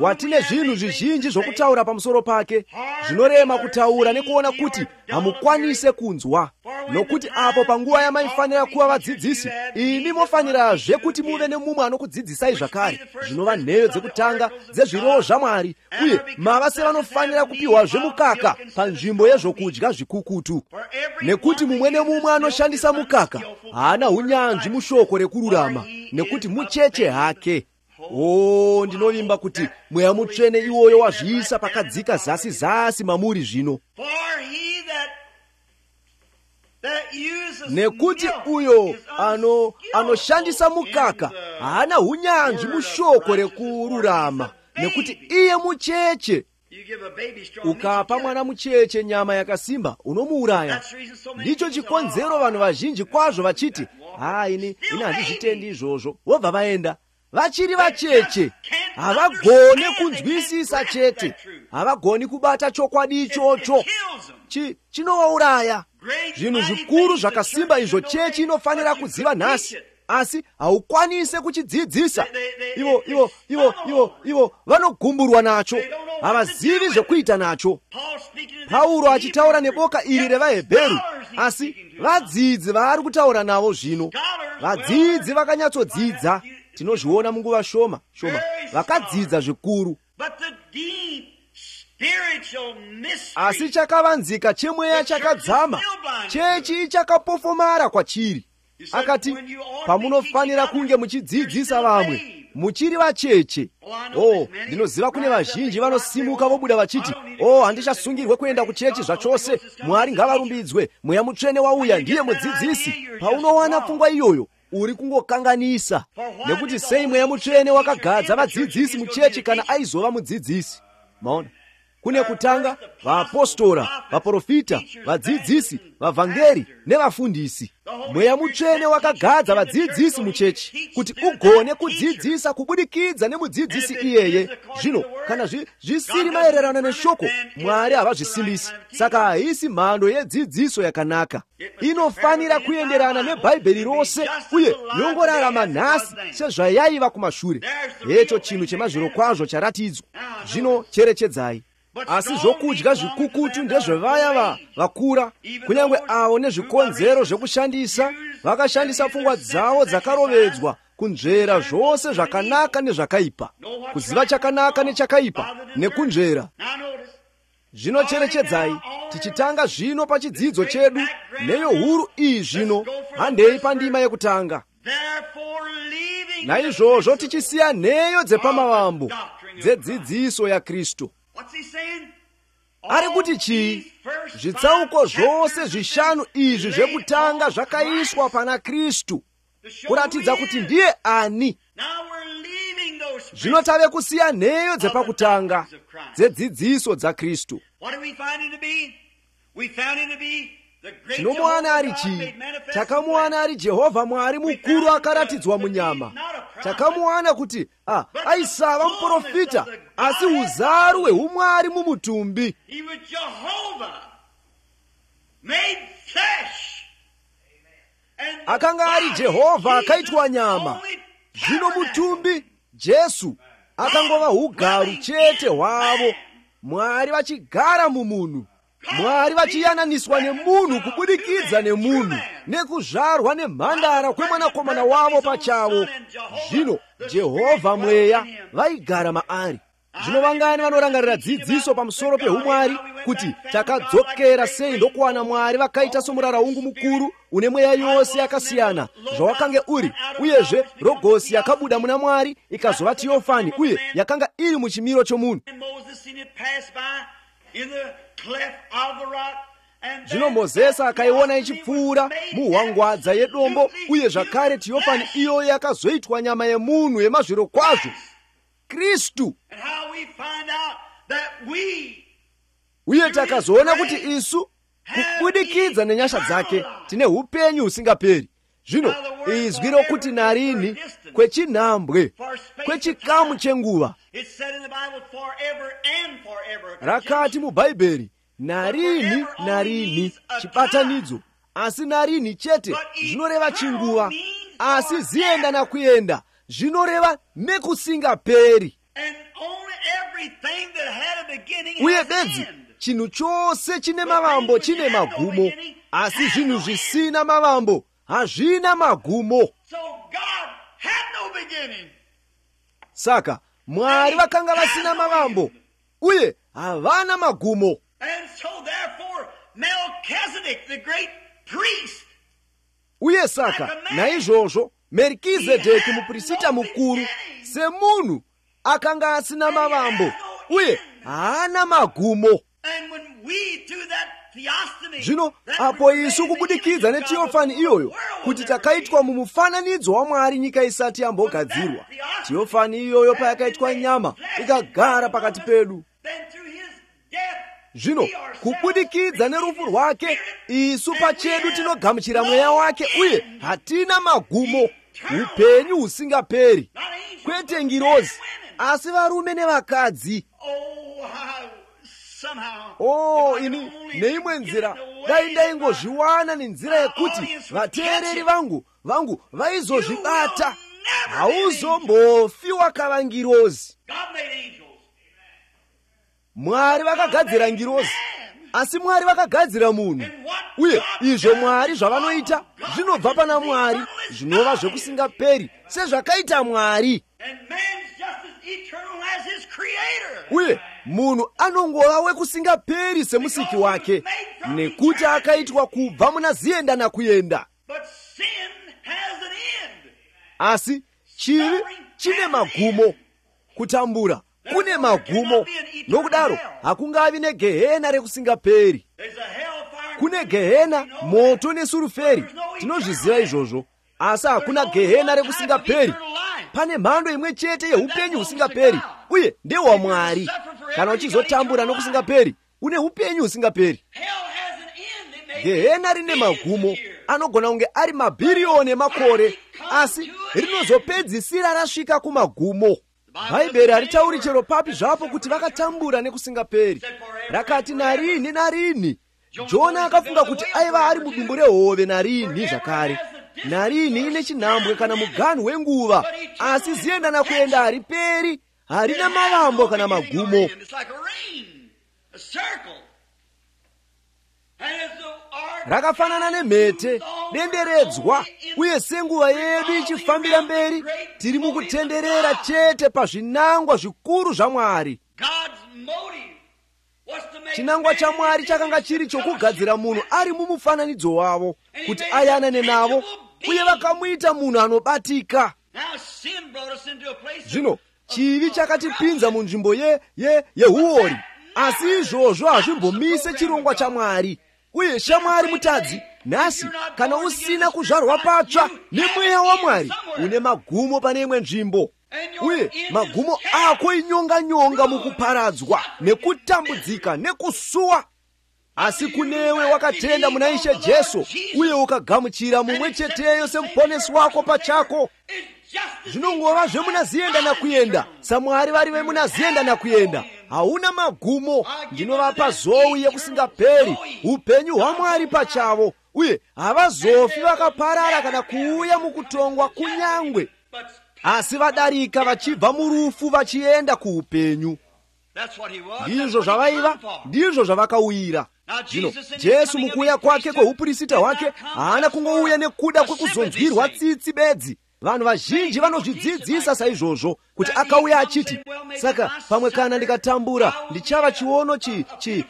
Speaker 1: Watine zvinhu zvizhinji zvokutaura pamusoro pake, zvinorema kutaura nekuona kuti hamukwanise kunzwa. Nokuti apo panguva yamaifanira kuva vadzidzisi, imi mofanirazve kuti muve nemumwe anokudzidzisai zvakare, zvinova nheyo dzekutanga dzezviroho zvaMwari, uye mava sevanofanira kupiwazve mukaka panzvimbo yezvokudya zvikukutu. Nekuti mumwe nemumwe anoshandisa mukaka haana unyanzvi mushoko rekururama, nekuti mucheche hake. Oh, ndinovimba kuti Mweya Mutsvene iwoyo wazviisa pakadzika zasi zasi mamuri zvino. Nekuti uyo anoshandisa mukaka haana unyanzvi mushoko rekururama, nekuti iye mucheche. Ukapa mwana mucheche nyama yakasimba, unomuuraya. Ndicho chikonzero vanhu vazhinji kwazvo vachiti, ini handizvitendi izvozvo, vobva vaenda. Vachiri vacheche, havagoni kunzwisisa chete, havagoni kubata chokwadi ichocho. Chinovauraya. Zvinhu zvikuru zvakasimba izvo chechi inofanira kuziva nhasi, asi haukwanise kuchidzidzisa. Ivo vanogumburwa nacho, havazivi zvekuita nacho. Pauro achitaura neboka iri revaHebheru, asi vadzidzi vaari kutaura navo zvino, vadzidzi vakanyatsodzidza. Tinozviona munguva shoma vakadzidza zvikuru. Asi chakavanzika chemweya chakadzama, chechi chakapofomara kwachiri. Akati, pamunofanira kunge muchidzidzisa vamwe, muchiri vacheche. Ndinoziva kune vazhinji vanosimuka vobuda vachiti, handichasungirwe kuenda kuchechi zvachose, Mwari ngavarumbidzwe, Mweya Mutsvene wauya, ndiye mudzidzisi. Paunowana pfungwa iyoyo, uri kungokanganisa. Nekuti sei Mweya Mutsvene wakagadza vadzidzisi muchechi kana aizova mudzidzisi? Maona, kune kutanga vaapostora, vaprofita, vadzidzisi, vavhangeri nevafundisi. Mweya Mutsvene wakagadza vadzidzisi muchechi kuti ugone kudzidzisa kubudikidza nemudzidzisi iyeye. Zvino kana zvisiri maererano neshoko, Mwari havazvisimbisi. Saka haisi mhando yedzidziso yakanaka. Inofanira kuenderana neBhaibheri rose uye yongorarama nhasi sezvayaiva kumashure. Hecho chinhu chemazviro kwazvo charatidzwa. Zvino cherechedzai. Asi zvokudya zvikukutu ndezvevaya vakura, kunyange avo nezvikonzero zvekushandisa, vakashandisa pfungwa dzavo dzakarovedzwa kunzvera zvose zvakanaka nezvakaipa, kuziva chakanaka nechakaipa nekunzvera. Zvino cherechedzai, tichitanga zvino pachidzidzo chedu, neyo huru iyi zvino, handei pandima yekutanga. Naizvozvo tichisiya nheyo dzepamavambo dzedzidziso yaKristu. Ari kuti chii? Zvitsauko zvose zvishanu izvi zvekutanga zvakaiswa pana Kristu, kuratidza kuti ndiye ani. Zvino tave kusiya nheyo dzepakutanga dzedzidziso dzaKristu. Tinomuwana ari chii? Takamuwana ari Jehovha Mwari mukuru akaratidzwa munyama. Takamuwana kuti aisava muprofita, asi uzaru hweumwari mumutumbi. Akanga ari Jehovha akaitwa nyama. Zvino mutumbi, Jesu, akangova ugaru chete hwavo, Mwari vachigara mumunhu. mwari vachiyananiswa nemunhu kubudikidza nemunhu nekuzvarwa nemhandara kwemwanakomana wavo pachavo. Zvino Jehovha mweya vaigara maari. Zvino vangani vanorangarira dzidziso pamusoro peumwari kuti takadzokera sei ndokuwana mwari vakaita somuraraungu mukuru une mweya yose yakasiyana zvawakange uri, uyezve rogosi yakabuda muna mwari ikazova Teofani uye yakanga iri muchimiro chomunhu. Zvino Mozisi akaiona ichipfuura muhwangwadza yedombo, uye zvakare Teofani iyoyo yakazoitwa nyama yemunhu yemazviro kwazvo, Kristu. Uye takazoona kuti isu kubudikidza nenyasha dzake tine upenyu husingaperi. Zvino izwi rokuti narini kwechinhambwe kwechikamu chenguva rakati mubhaibheri narini narini chibatanidzo, asi narini chete zvinoreva chinguva, asi zienda nakuyenda zvinoreva nekusingaperi. Uye bedzi chinhu chose chine mavambo chine magumo, asi zvinhu zvisina mavambo hazvina magumo. Saka mwari vakanga vasina mavambo uye havana magumo. Uye saka naizvozvo Merikizedheki muprista mukuru semunhu akanga asina mavambo uye haana magumo. Zvino apo isu kubudikidza neTeofani iyoyo kuti takaitwa mumufananidzo waMwari nyika isati yambogadzirwa, Teofani iyoyo payakaitwa nyama ikagara pakati pedu. Zvino kubudikidza nerufu rwake isu pachedu tinogamuchira mweya wake uye hatina magumo, upenyu husingaperi, kwete ngirozi asi varume nevakadzi. Ini neimwe nzira dai ndaingozviwana nenzira yekuti vateereri vangu vaizozvibata, hauzombofi wakava ngirozi. Mwari vakagadzira ngirozi, asi Mwari vakagadzira munhu, uye izvo Mwari zvavanoita zvinobva pana Mwari, zvinova zvekusingaperi sezvakaita Mwari. Uye munhu anongova wekusingaperi semusiki wake, nekuti akaitwa kubva muna zienda nakuyenda. Asi chivi chine magumo, kutambura kune magumo, nokudaro hakungavi negehena rekusingaperi. Kune gehena, moto nesuruferi, tinozviziva izvozvo, asi hakuna gehena rekusingaperi. Pane mhando imwe chete yeupenyu husingaperi, uye ndewaMwari. Kana uchizotambura nokusingaperi une upenyu husingaperi. Gehena rine magumo anogona kunge ari mabhiriyoni emakore, asi rinozopedzisira rasvika kumagumo. Bhaibheri haritauri chero papi zvapo kuti vakatambura nekusingaperi. Rakati narini narini. Jona akafunga kuti aiva ari mudumbu rehove narini zvakare. Narini ine chinhambwe kana muganhu wenguva, asi zienda nakuyenda hariperi, harina mavambo kana magumo. Rakafanana nemhete, denderedzwa, uye senguva yedu ichifambira mberi, tiri mukutenderera chete pazvinangwa zvikuru zvaMwari. Chinangwa chaMwari chakanga chiri chokugadzira munhu ari mumufananidzo wavo, kuti ayanane navo, uye vakamuita munhu anobatika. Zvino chivi chakatipinza munzvimbo yehuori, asi izvozvo hazvimbomise chirongwa chaMwari. Uye shamwari mutadzi nhasi, kana usina kuzvarwa patsva nemweya waMwari, une magumo pane imwe nzvimbo. Uye magumo ako inyonga mukuparadzwa nekutambudzika nekusuwa. Asi kunewe wakatenda muna Ishe Jesu uye ukagamuchira mumwe cheteyo semuponesi wako pachako, zvinongova zvemunazienda nakuyenda saMwari vari vemunazienda nakuyenda. Hauna magumo. Ndinovapa zowi yekusingaperi, upenyu hwaMwari pachavo, uye havazofi vakaparara kana kuuya mukutongwa kunyangwe, asi vadarika vachibva murufu vachienda kuupenyu. Ndizvo zvavaiva, ndizvo zvavakauyira. Zvino Jesu mukuuya kwake kweupurisita wake haana kungouya nekuda kwekuzonzwirwa tsitsi bedzi. Vanhu vazhinji vanozvidzidzisa saizvozvo kuti akauya achiti, saka pamwe kana ndikatambura ndichava chiono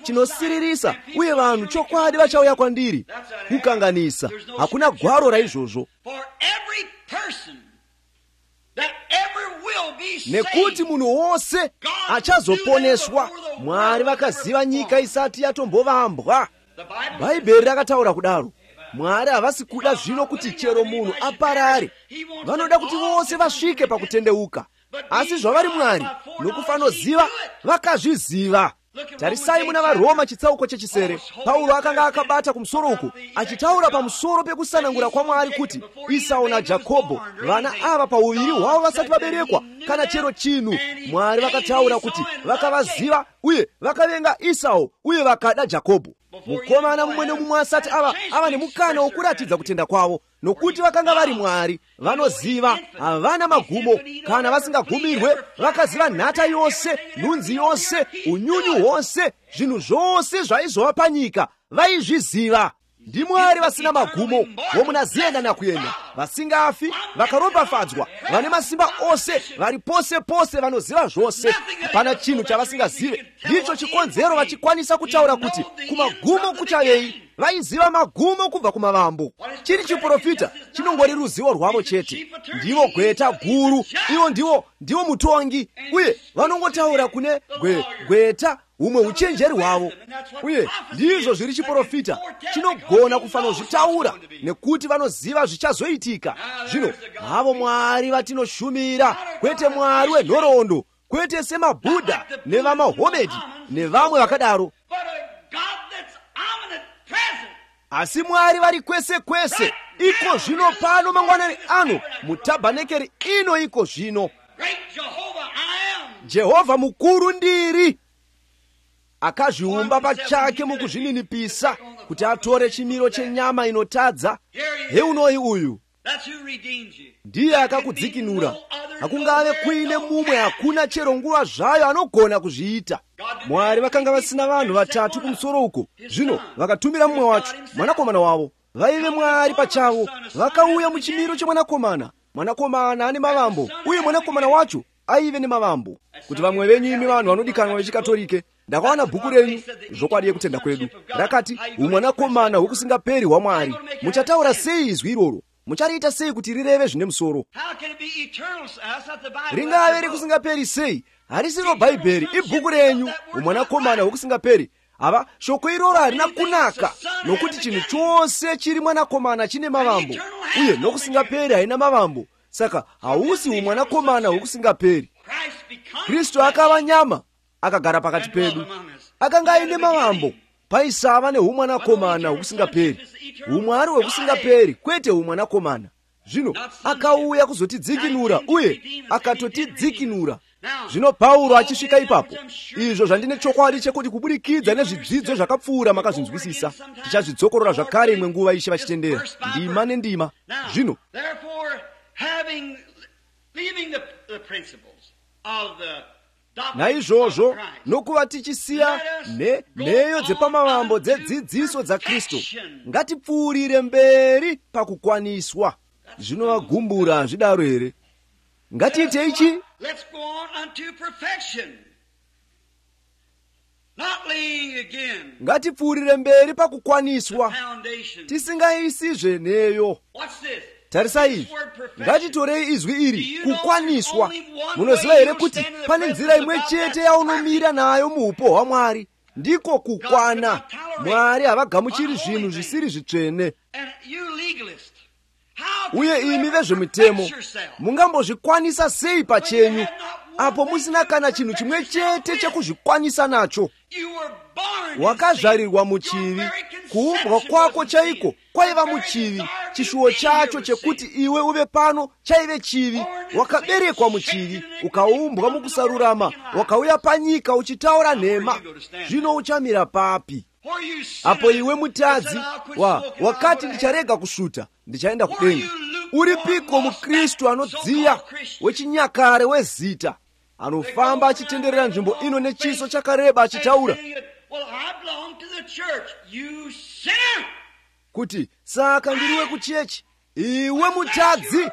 Speaker 1: chinosiririsa uye vanhu chokwadi vachauya kwandiri. Kukanganisa. Hakuna gwaro raizvozvo. Nekuti munhu wose achazoponeswa. Mwari vakaziva nyika isati yatombovambwa. Bhaibheri rakataura kudaro. Mwari havasi kuda zvino kuti chero munhu aparare. Vanoda kuti vose vasvike pakutendeuka. Asi zvavari Mwari nokufanoziva vakazviziva. Tarisai muna vaRoma chitsauko chechisere. Paulo akanga akabata kumusoro uku achitaura pamusoro pekusanangura kwa Mwari kuti Esau na Jakobho, vana ava pauviri hwavo vasati vaberekwa kana chero chinhu, Mwari vakataura kuti vakavaziva uye vakavenga Esau uye vakada Jakobho. Mukomana mumwe nemumwe asati ava nemukana wokuratidza kutenda kwavo, nokuti vakanga vari Mwari vanoziva, havana magumo. Kana vasingagumirwe vakaziva nhata yose, nhunzi yose, unyunyu hwose, zvinhu zvose zvaizova panyika vaizviziva. Ndi Mwari vasina magumo, womunaziyenda nakuyenda, vasingafi, vakaropafadzwa, vane masimba ose, vari pose pose, vanoziva zvose. Hapana chinhu chavasingazive. Ndicho chikonzero vachikwanisa kutaura kuti kumagumo kuchavei. Vaiziva magumo kubva kumavambo. Chiri chiprofita chinongori ruzivo rwavo chete. Ndivo gweta guru, ivo ndivo mutongi, uye vanongotaura kune gweta umwe uchenjeri hwavo. Uye ndizvo zviri chiprofita chinogona kufanozvitaura nekuti vanoziva zvichazoitika. Zvino havo Mwari vatinoshumira, kwete Mwari wenhoroondo, kwete semaBudha nevamaHomedhi nevamwe vakadaro, asi Mwari vari kwese kwese. Iko zvino pano mangwanani ano mutabhanekeri ino iko zvino. Jehovha mukuru ndiri, akazviumba pachake mukuzvininipisa kuti atore chimiro chenyama inotadza. Heunoyi uyu ndiye akakudzikinura. Hakungave kuine mumwe, hakuna chero nguva zvayo anogona kuzviita. Mwari vakanga vasina vanhu vatatu kumusoro uko. Zvino vakatumira mumwe wacho, mwanakomana wavo. Vaive Mwari pachavo. Vakauya muchimiro chemwanakomana. Mwanakomana ane mavambo uye mwanakomana wacho aive nemavambo. Kuti vamwe venyu imi vanhu vanodikanwa vechikatolike, ndakawana bhuku renyu zvokwadi yekutenda kwedu rakati umwanakomana hwokusingaperi hwaMwari. Muchataura sei izwi iroro? Muchariita sei kuti rireve zvine musoro? Ringave rekusingaperi sei? Harisiro Bhaibheri, ibhuku renyu umwanakomana hwokusingaperi. Ava shoko iroro harina kunaka, nokuti chinhu chose chiri mwanakomana chine mavambo, uye nokusingaperi haina mavambo. Saka hausi umwanakomana hwokusingaperi. Kristu akava nyama akagara pakati pedu. Akanga aine mavambo, paisava neumwanakomana hwokusingaperi. Umwari hwokusingaperi, kwete umwanakomana. Zvino akauya kuzotidzikinura uye akatotidzikinura. Zvino Paulo achisvika ipapo, izvo zvandine chokwadi chekuti kubudikidza nezvidzidzo zvakapfuura makazvinzwisisa, tichazvidzokorora zvakare imwe nguva Ishe vachitendera, ndima nendima. Zvino naizvozvo, nokuva tichisiya nheyo dzepamavambo dzedzidziso dzaKristu, ngatipfuurire mberi pakukwaniswa. Zvinovagumbura hazvidaro here? Ngatiite ichi.
Speaker 2: Let's go on unto perfection. Not laying again.
Speaker 1: Ngatipfuurire mberi pakukwaniswa,
Speaker 2: Foundation.
Speaker 1: tisingaisizve neyo.
Speaker 2: What's this?
Speaker 1: Tarisai, ngatitorei izwi iri, kukwaniswa. Munoziva here kuti pane nzira imwe chete yaunomira nayo muupo hwaMwari, ndiko kukwana. Mwari havagamuchiri zvinhu zvisiri zvitsvene.
Speaker 2: And you legalist,
Speaker 1: Uye imi vezvemitemo, mungambozvikwanisa sei pachenyu, apo musina kana chinhu chimwe chete chekuzvikwanisa nacho? Wakazvarirwa muchivi, kuumbwa kwako chaiko kwaiva muchivi, chishuwo chacho chekuti iwe uve pano chaive chivi. Wakaberekwa muchivi, ukaumbwa mukusarurama, wakauya panyika uchitaura nhema. Zvino uchamira papi? Apo iwe mutadzi wakati ndicharega kusvuta, ndichaenda kudenga. Uripiko muKristu anodziya, wechinyakare wezita, anofamba achitenderera nzvimbo ino nechiso chakareba achitaura,
Speaker 2: Well, I belong to the church. You sinner.
Speaker 1: kuti saka ndiliwe ku chechi, iwe mutadzi.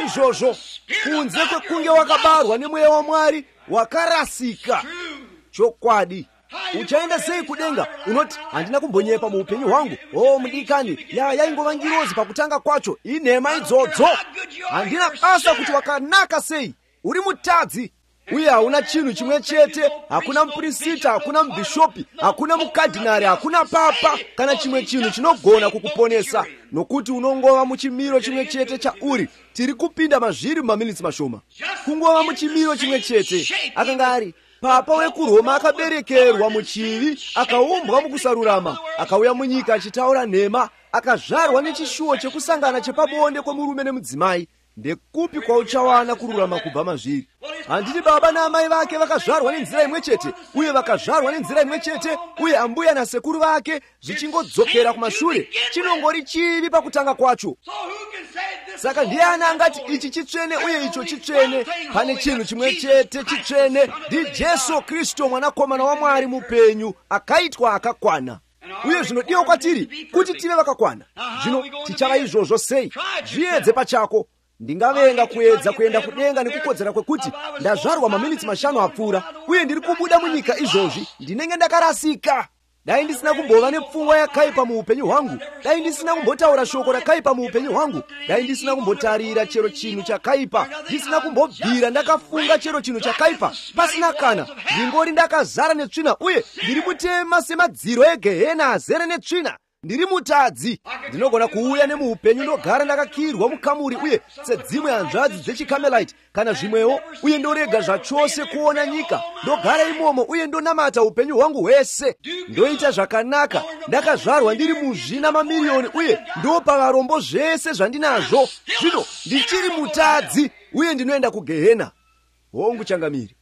Speaker 1: Izvozvo kunze kwekunge wakabarwa nemweya wa Mwari wakarasika. Chokwadi. Uchaenda sei kudenga unoti handina kumbonyepa mu upenyu hwangu? Oh mudikani, yaingova ngirozi pakutanga kwacho. Inhema idzodzo. Handina basa kuti wakanaka sei. Uri mutadzi. Uye hauna chinhu chimwe chete, hakuna muprisita, hakuna mubhishopi, hakuna mukadhinari, hakuna papa kana chimwe chinhu chinogona kukuponesa, nokuti unongova muchimiro chimwe chete chauri. Tiri kupinda mazviri mumaminitsi mashoma. Kungova muchimiro chimwe chete. Akanga ari papa wekuroma akaberekerwa muchivi, akaumbwa mukusarurama, akauya munyika achitaura nhema, akazvarwa nechishuwo chekusangana chepabonde kwemurume nemudzimai. Ndekupi kwauchawana kururama kubva mazviri? Handiti baba naamai vake vakazvarwa nenzira imwe chete, uye vakazvarwa nenzira imwe chete, uye ambuya nasekuru vake zvichingodzokera kumashure? Chinongori chivi pakutanga kwacho. Saka ndiani angati ichi chitsvene uye icho chitsvene? Pane chinhu chimwe chete chitsvene, ndi Jesu Kristu mwanakomana wa Mwari mupenyu, akaitwa akakwana. Uye zvinodiwa kwatiri kuti tive vakakwana. Zvino tichava izvozvo sei? Zviedze pachako. Ndingavenga kuedza kuenda kudenga nekukodzera kwekuti ndazvarwa maminitsi 5 apfuura, uye ndiri kubuda munyika izvozvi ndinenge ndakarasika. Dai ndisina kumbova nepfungwa yakaipa muupenyu hwangu, dai ndisina kumbotaura shoko rakaipa muupenyu hwangu, dai ndisina kumbotarira chero chinhu chakaipa, ndisina kumbobvira ndakafunga chero chinhu chakaipa, pasina kana, ndingori ndakazara netsvina, uye ndiri mutema semadziro egehena azere netsvina. Ndiri mutadzi. Ndinogona kuuya nemuupenyu ndogara ndakakirwa mukamuri, uye sedzimwe hanzvadzi dzechikamelite kana zvimwewo, uye ndorega zvachose kuona nyika, ndogara imomo uye ndonamata upenyu hwangu hwese. Ndoita zvakanaka, ndakazvarwa ndiri muzvina mamiriyoni, uye ndopa varombo zvese zvandinazvo. Zvino ndichiri mutadzi, uye ndinoenda kugehena. Hongu changamiri.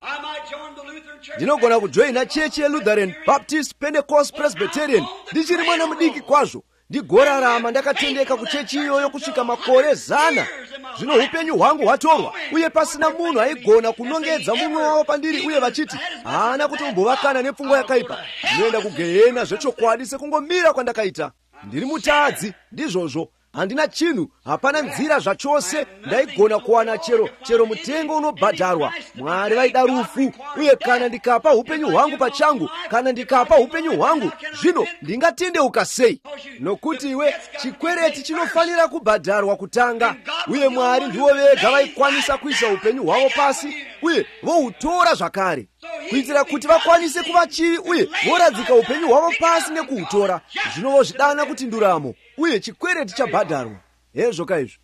Speaker 1: Ndinogona kujoina chechi yeLutheran, Baptist, Pentecost, Presbyterian. Ndichiri mwana mudiki kwazvo. Ndigorarama ndakatendeka kuchechi iyoyo kusvika makore 100. Zvino upenyu hwangu hwatorwa, uye pasina munhu aigona kunongedza mumwe wavo pandiri, uye vachiti haana kutombovakana nepfungwa yakaipa. Ndinoenda kugehena zvechokwadi sekungomira kwandakaita. Ndiri mutadzi, ndizvozvo. Handina chinhu, hapana nzira zvachose ndaigona kuwana chero mutengo unobhadharwa. Mwari vaida rufu, uye kana ndikapa upenyu hwangu pachangu, kana ndikapa upenyu hwangu, zvino ndingatendeuka sei? Nokuti iwe chikwereti chinofanira kubhadharwa kutanga, uye Mwari ndivo vega vaikwanisa kuisa upenyu hwavo pasi, uye vohutora zvakare, kuitira kuti vakwanise kuva chivi, uye voradzika upenyu hwavo pasi nekuhutora. Zvino vozvidana kuti nduramo, uye chikwereti chabhadharwa. Hezvo kaizvo.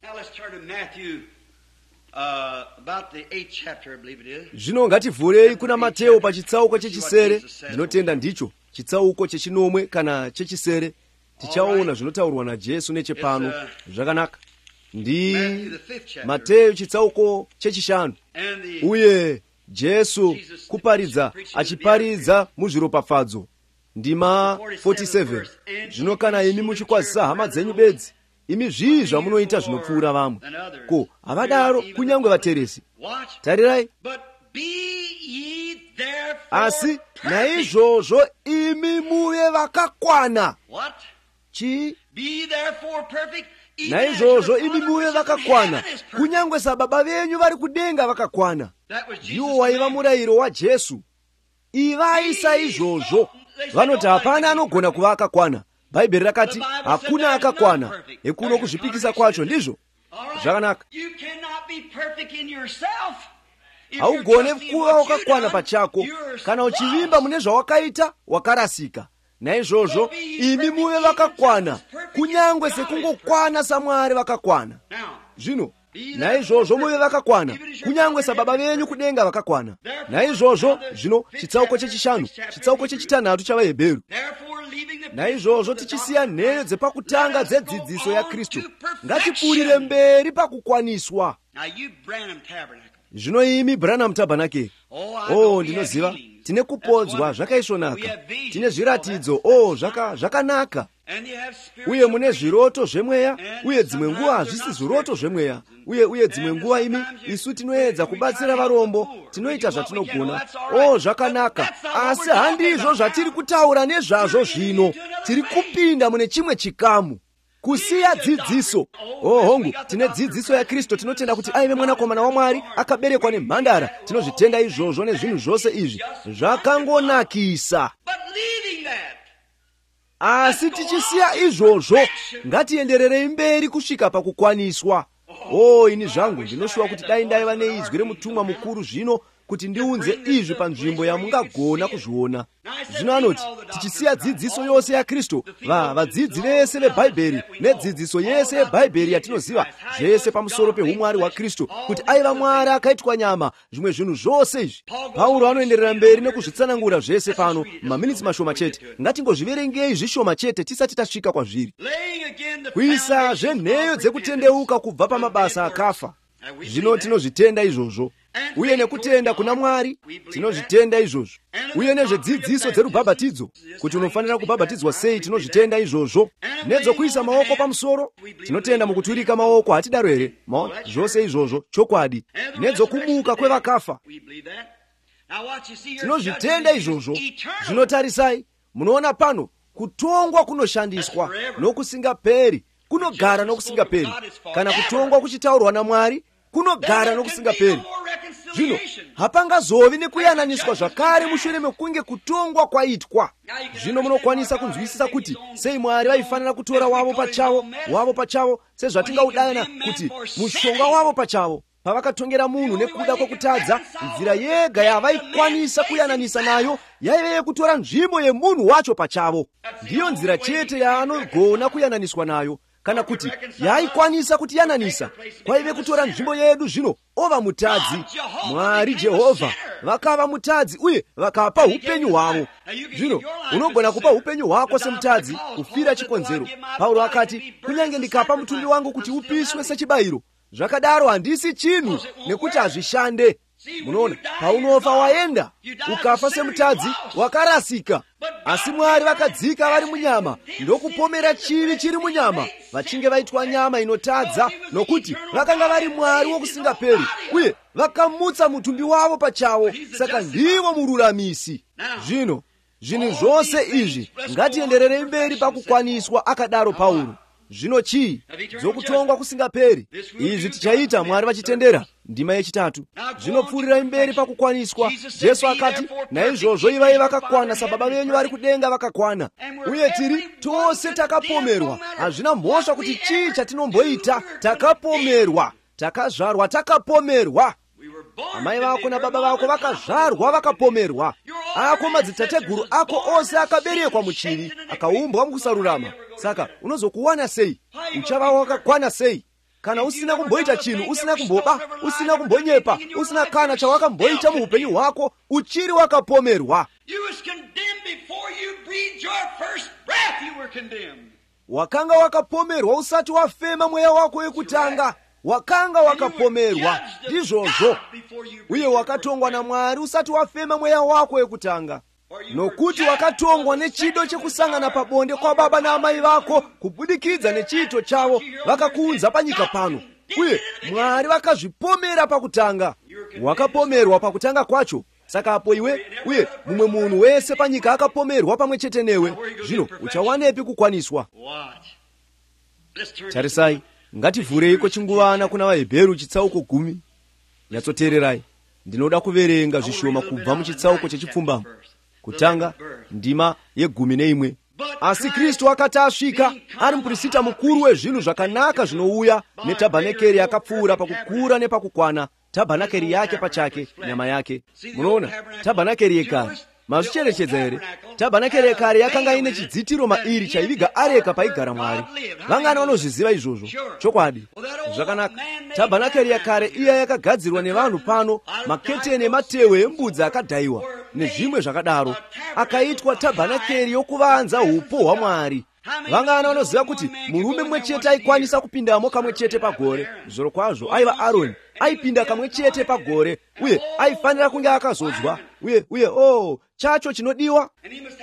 Speaker 1: Zvino ngativhurei kuna Mateo pachitsauko chechisere. Ndinotenda ndicho chitsauko chechinomwe kana chechisere. Tichaona zvinotaurwa naJesu nechepano. Zvakanaka. Ndi Mateo chitsauko chechishanu. Uye Jesu kuparidza achiparidza muzviropafadzo. Ndima 47. Zvino kana imi muchikwazisa hama dzenyu bedzi, imi zvii zvamunoita zvinopfuura vamwe? Ko, havadaro kunyangwe vateresi? Tarirai. Asi naizvozvo imi muve vakakwana. Chii? Naizvozvo imi muve vakakwana, kunyangwe sababa venyu vari kudenga vakakwana. Ndiwo waiva murayiro waJesu. Ivai saizvozvo. Vanoti hapana anogona kuva akakwana. Bhaibheri rakati hakuna akakwana. Ekuno kuzvipikisa kwacho, ndizvo? Zvakanaka. Haugone kuva wakakwana pachako. Kana uchivimba mune zvawakaita, wakarasika. Naizvozvo imi muve vakakwana, kunyangwe sekungokwana saMwari vakakwana. Zvino naizvozvo muve vakakwana, kunyangwe sababa venyu kudenga vakakwana. Naizvozvo, zvino chitsauko chechishanu, chitsauko chechitanhatu chavaHebheru. Naizvozvo tichisiya nheyo dzepakutanga dzedzidziso yaKristu, ngatipfuurire mberi pakukwaniswa. Zvino imi Branham Tabernacle. Ndinoziva. Tine kupodzwa zvakaisvonaka. Tine zviratidzo. Zvakanaka. uye mune zviroto zvemweya, uye dzimwe nguva hazvisi zviroto zvemweya, uye dzimwe nguva isu tinoedza kubatsira varombo, tinoita zvatinogona. Zvakanaka, asi handizvo zvatiri kutaura nezvazvo zvino. Tiri kupinda mune chimwe chikamu, kusiya dzidziso. Hongu, tine dzidziso ya Kristu, tinotenda kuti aive mwanakomana waMwari, akaberekwa nemhandara. Tinozvitenda izvozvo nezvinhu zvose izvi. Zvakangonakisa. Asi tichisiya izvozvo, ngatiendererei mberi kusvika pakukwaniswa. Ini zvangu ndinoshuva kuti dai ndaiva neizwi remutumwa mukuru zvino, kuti ndiunze izvi panzvimbo yamungagona kuzviona. Zvino anoti, tichisiya dzidziso yose ya Kristu, vadzidzi vese veBhaibheri nedzidziso yese yeBhaibheri yatinoziva, zvese pamusoro peumwari hwa Kristu, kuti aiva Mwari akaitwa nyama, zvimwe zvinhu zvose izvi. Pauro anoenderera mberi nekuzvitsanangura zvese pano, maminitsi mashoma chete. Ngatingozviverengei zvishoma chete tisati tasvika kwazviri. Kuisa zvenheyo dzekutendeuka kubva pamabasa akafa. Zvino tinozvitenda izvozvo. Uye nekutenda kuna Mwari tinozvitenda izvozvo. Uye nezvedzidziso dzerubhabhatidzo, kuti unofanira kubhabhatidzwa sei, tinozvitenda izvozvo. Nedzokuisa maoko pamusoro, tinotenda mukuturika maoko, hatidaro here? Zvose izvozvo chokwadi. Nedzokumuka kwevakafa, tinozvitenda izvozvo. Zvinotarisai, munoona pano, kutongwa kunoshandiswa nokusingaperi, kunogara nokusingaperi. Kana kutongwa kuchitaurwa naMwari, kunogara nokusingaperi. Zvino hapangazovi nekuyananiswa zvakare mushure mekunge kutongwa kwaitwa. Zvino munokwanisa kunzwisisa kuti sei Mwari vaifanira kutora wavo pachavo, sezvatingaudana kuti mushonga wavo pachavo, pavakatongera munhu nekuda kwokutadza. Nzira yega yavaikwanisa kuyananisa nayo yaive yekutora nzvimbo yemunhu wacho pachavo. Ndiyo nzira chete yaanogona kuyananiswa nayo. Kana kuti yaikwanisa kutiyananisa, kwaive kutora nzvimbo yedu. Zvino ova mutadzi, Mwari Jehovha vakava mutadzi, uye vakapa upenyu hwavo. Zvino unogona kupa upenyu hwako semutadzi, kufira chikonzero. Paulo akati, kunyange ndikapa mutumbi wangu kuti upiswe sechibayiro, zvakadaro handisi chinhu, nekuti hazvishande. Munoona, paunofa waenda, ukafa semutadzi, wakarasika. Asi Mwari vakadzika vari munyama, ndokupomera chivi chiri munyama, vachinge vaitwa nyama inotadza, nokuti vakanga vari Mwari wokusingaperi, uye vakamutsa mutumbi wavo pachavo, saka ndivo mururamisi. Zvino zvinhu zvose izvi ngatienderere mberi pakukwaniswa, akadaro Paulo. Zvino chii? Dzokutongwa kusingaperi. Izvi tichaita Mwari vachitendera. Ndima yechitatu. Zvinopfuurira mberi pakukwaniswa. Jesu akati, naizvozvo ivai vakakwana, sababa venyu vari kudenga vakakwana. Uye tiri tose takapomerwa. Hazvina mhosva kuti chii chatinomboita. Takapomerwa, takazvarwa takapomerwa. Amai vako nababa vako vakazvarwa vakapomerwa. Ako madzitateguru ako ose akaberekwa muchivi, akaumbwa mukusarurama. Saka unozokuwana sei? Uchava wakakwana sei? Kana usina kumboita chinhu, usina kumboba, usina kumbonyepa, usina kana chawakamboita muupenyu hwako, uchiri wakapomerwa. Wakanga wakapomerwa usati wafema mweya wako wekutanga. Wakanga wakapomerwa, ndizvozvo. Uye wakatongwa naMwari usati wafema mweya wako wekutanga. Nokuti wakatongwa nechido chekusangana pabonde kwa baba na amai vako, kubudikidza nechiito chavo, vakakuunza panyika pano. Uye Mwari vakazvipomera pakutanga. Wakapomerwa pakutanga kwacho. Saka apo iwe, uye mumwe munhu wese panyika akapomerwa pamwe chete newe. Zvino uchawanepi kukwaniswa? Tarisai, ngativhureiko chinguvana kuna vaHebheru chitsauko 10. Nyatsoteererai, ndinoda kuverenga zvishoma kubva muchitsauko chechipfumbamwe. Kutanga ndima ye11. Asi Kristu akati asvika, ari muprista mukuru wezvinhu zvakanaka zvinouya, netabhanakeri yakapfuura pakukura nepakukwana, tabhanakeri yake pachake, nyama yake. Munoona, tabhanakeri yekare, mazvicherechedza here? Tabhanakeri yekare yakanga ine chidzitiro mairi chaiviga areka paigara Mwari. Vangana vanozviziva izvozvo? Chokwadi. Zvakanaka. Tabhanakeri yekare iya yakagadzirwa nevanhu pano, maketeni ematehwe embudzi akadhayiwa nezvimwe zvakadaro, akaitwa tabhanakeri yokuvanza upo hwaMwari. Vangana vanoziva kuti murume mumwe chete aikwanisa kupindamo kamwe chete pagore. Zviro kwazvo aiva Aroni, aipinda kamwe chete pagore, uye aifanira kunge akazodzwa. uye chacho chinodiwa.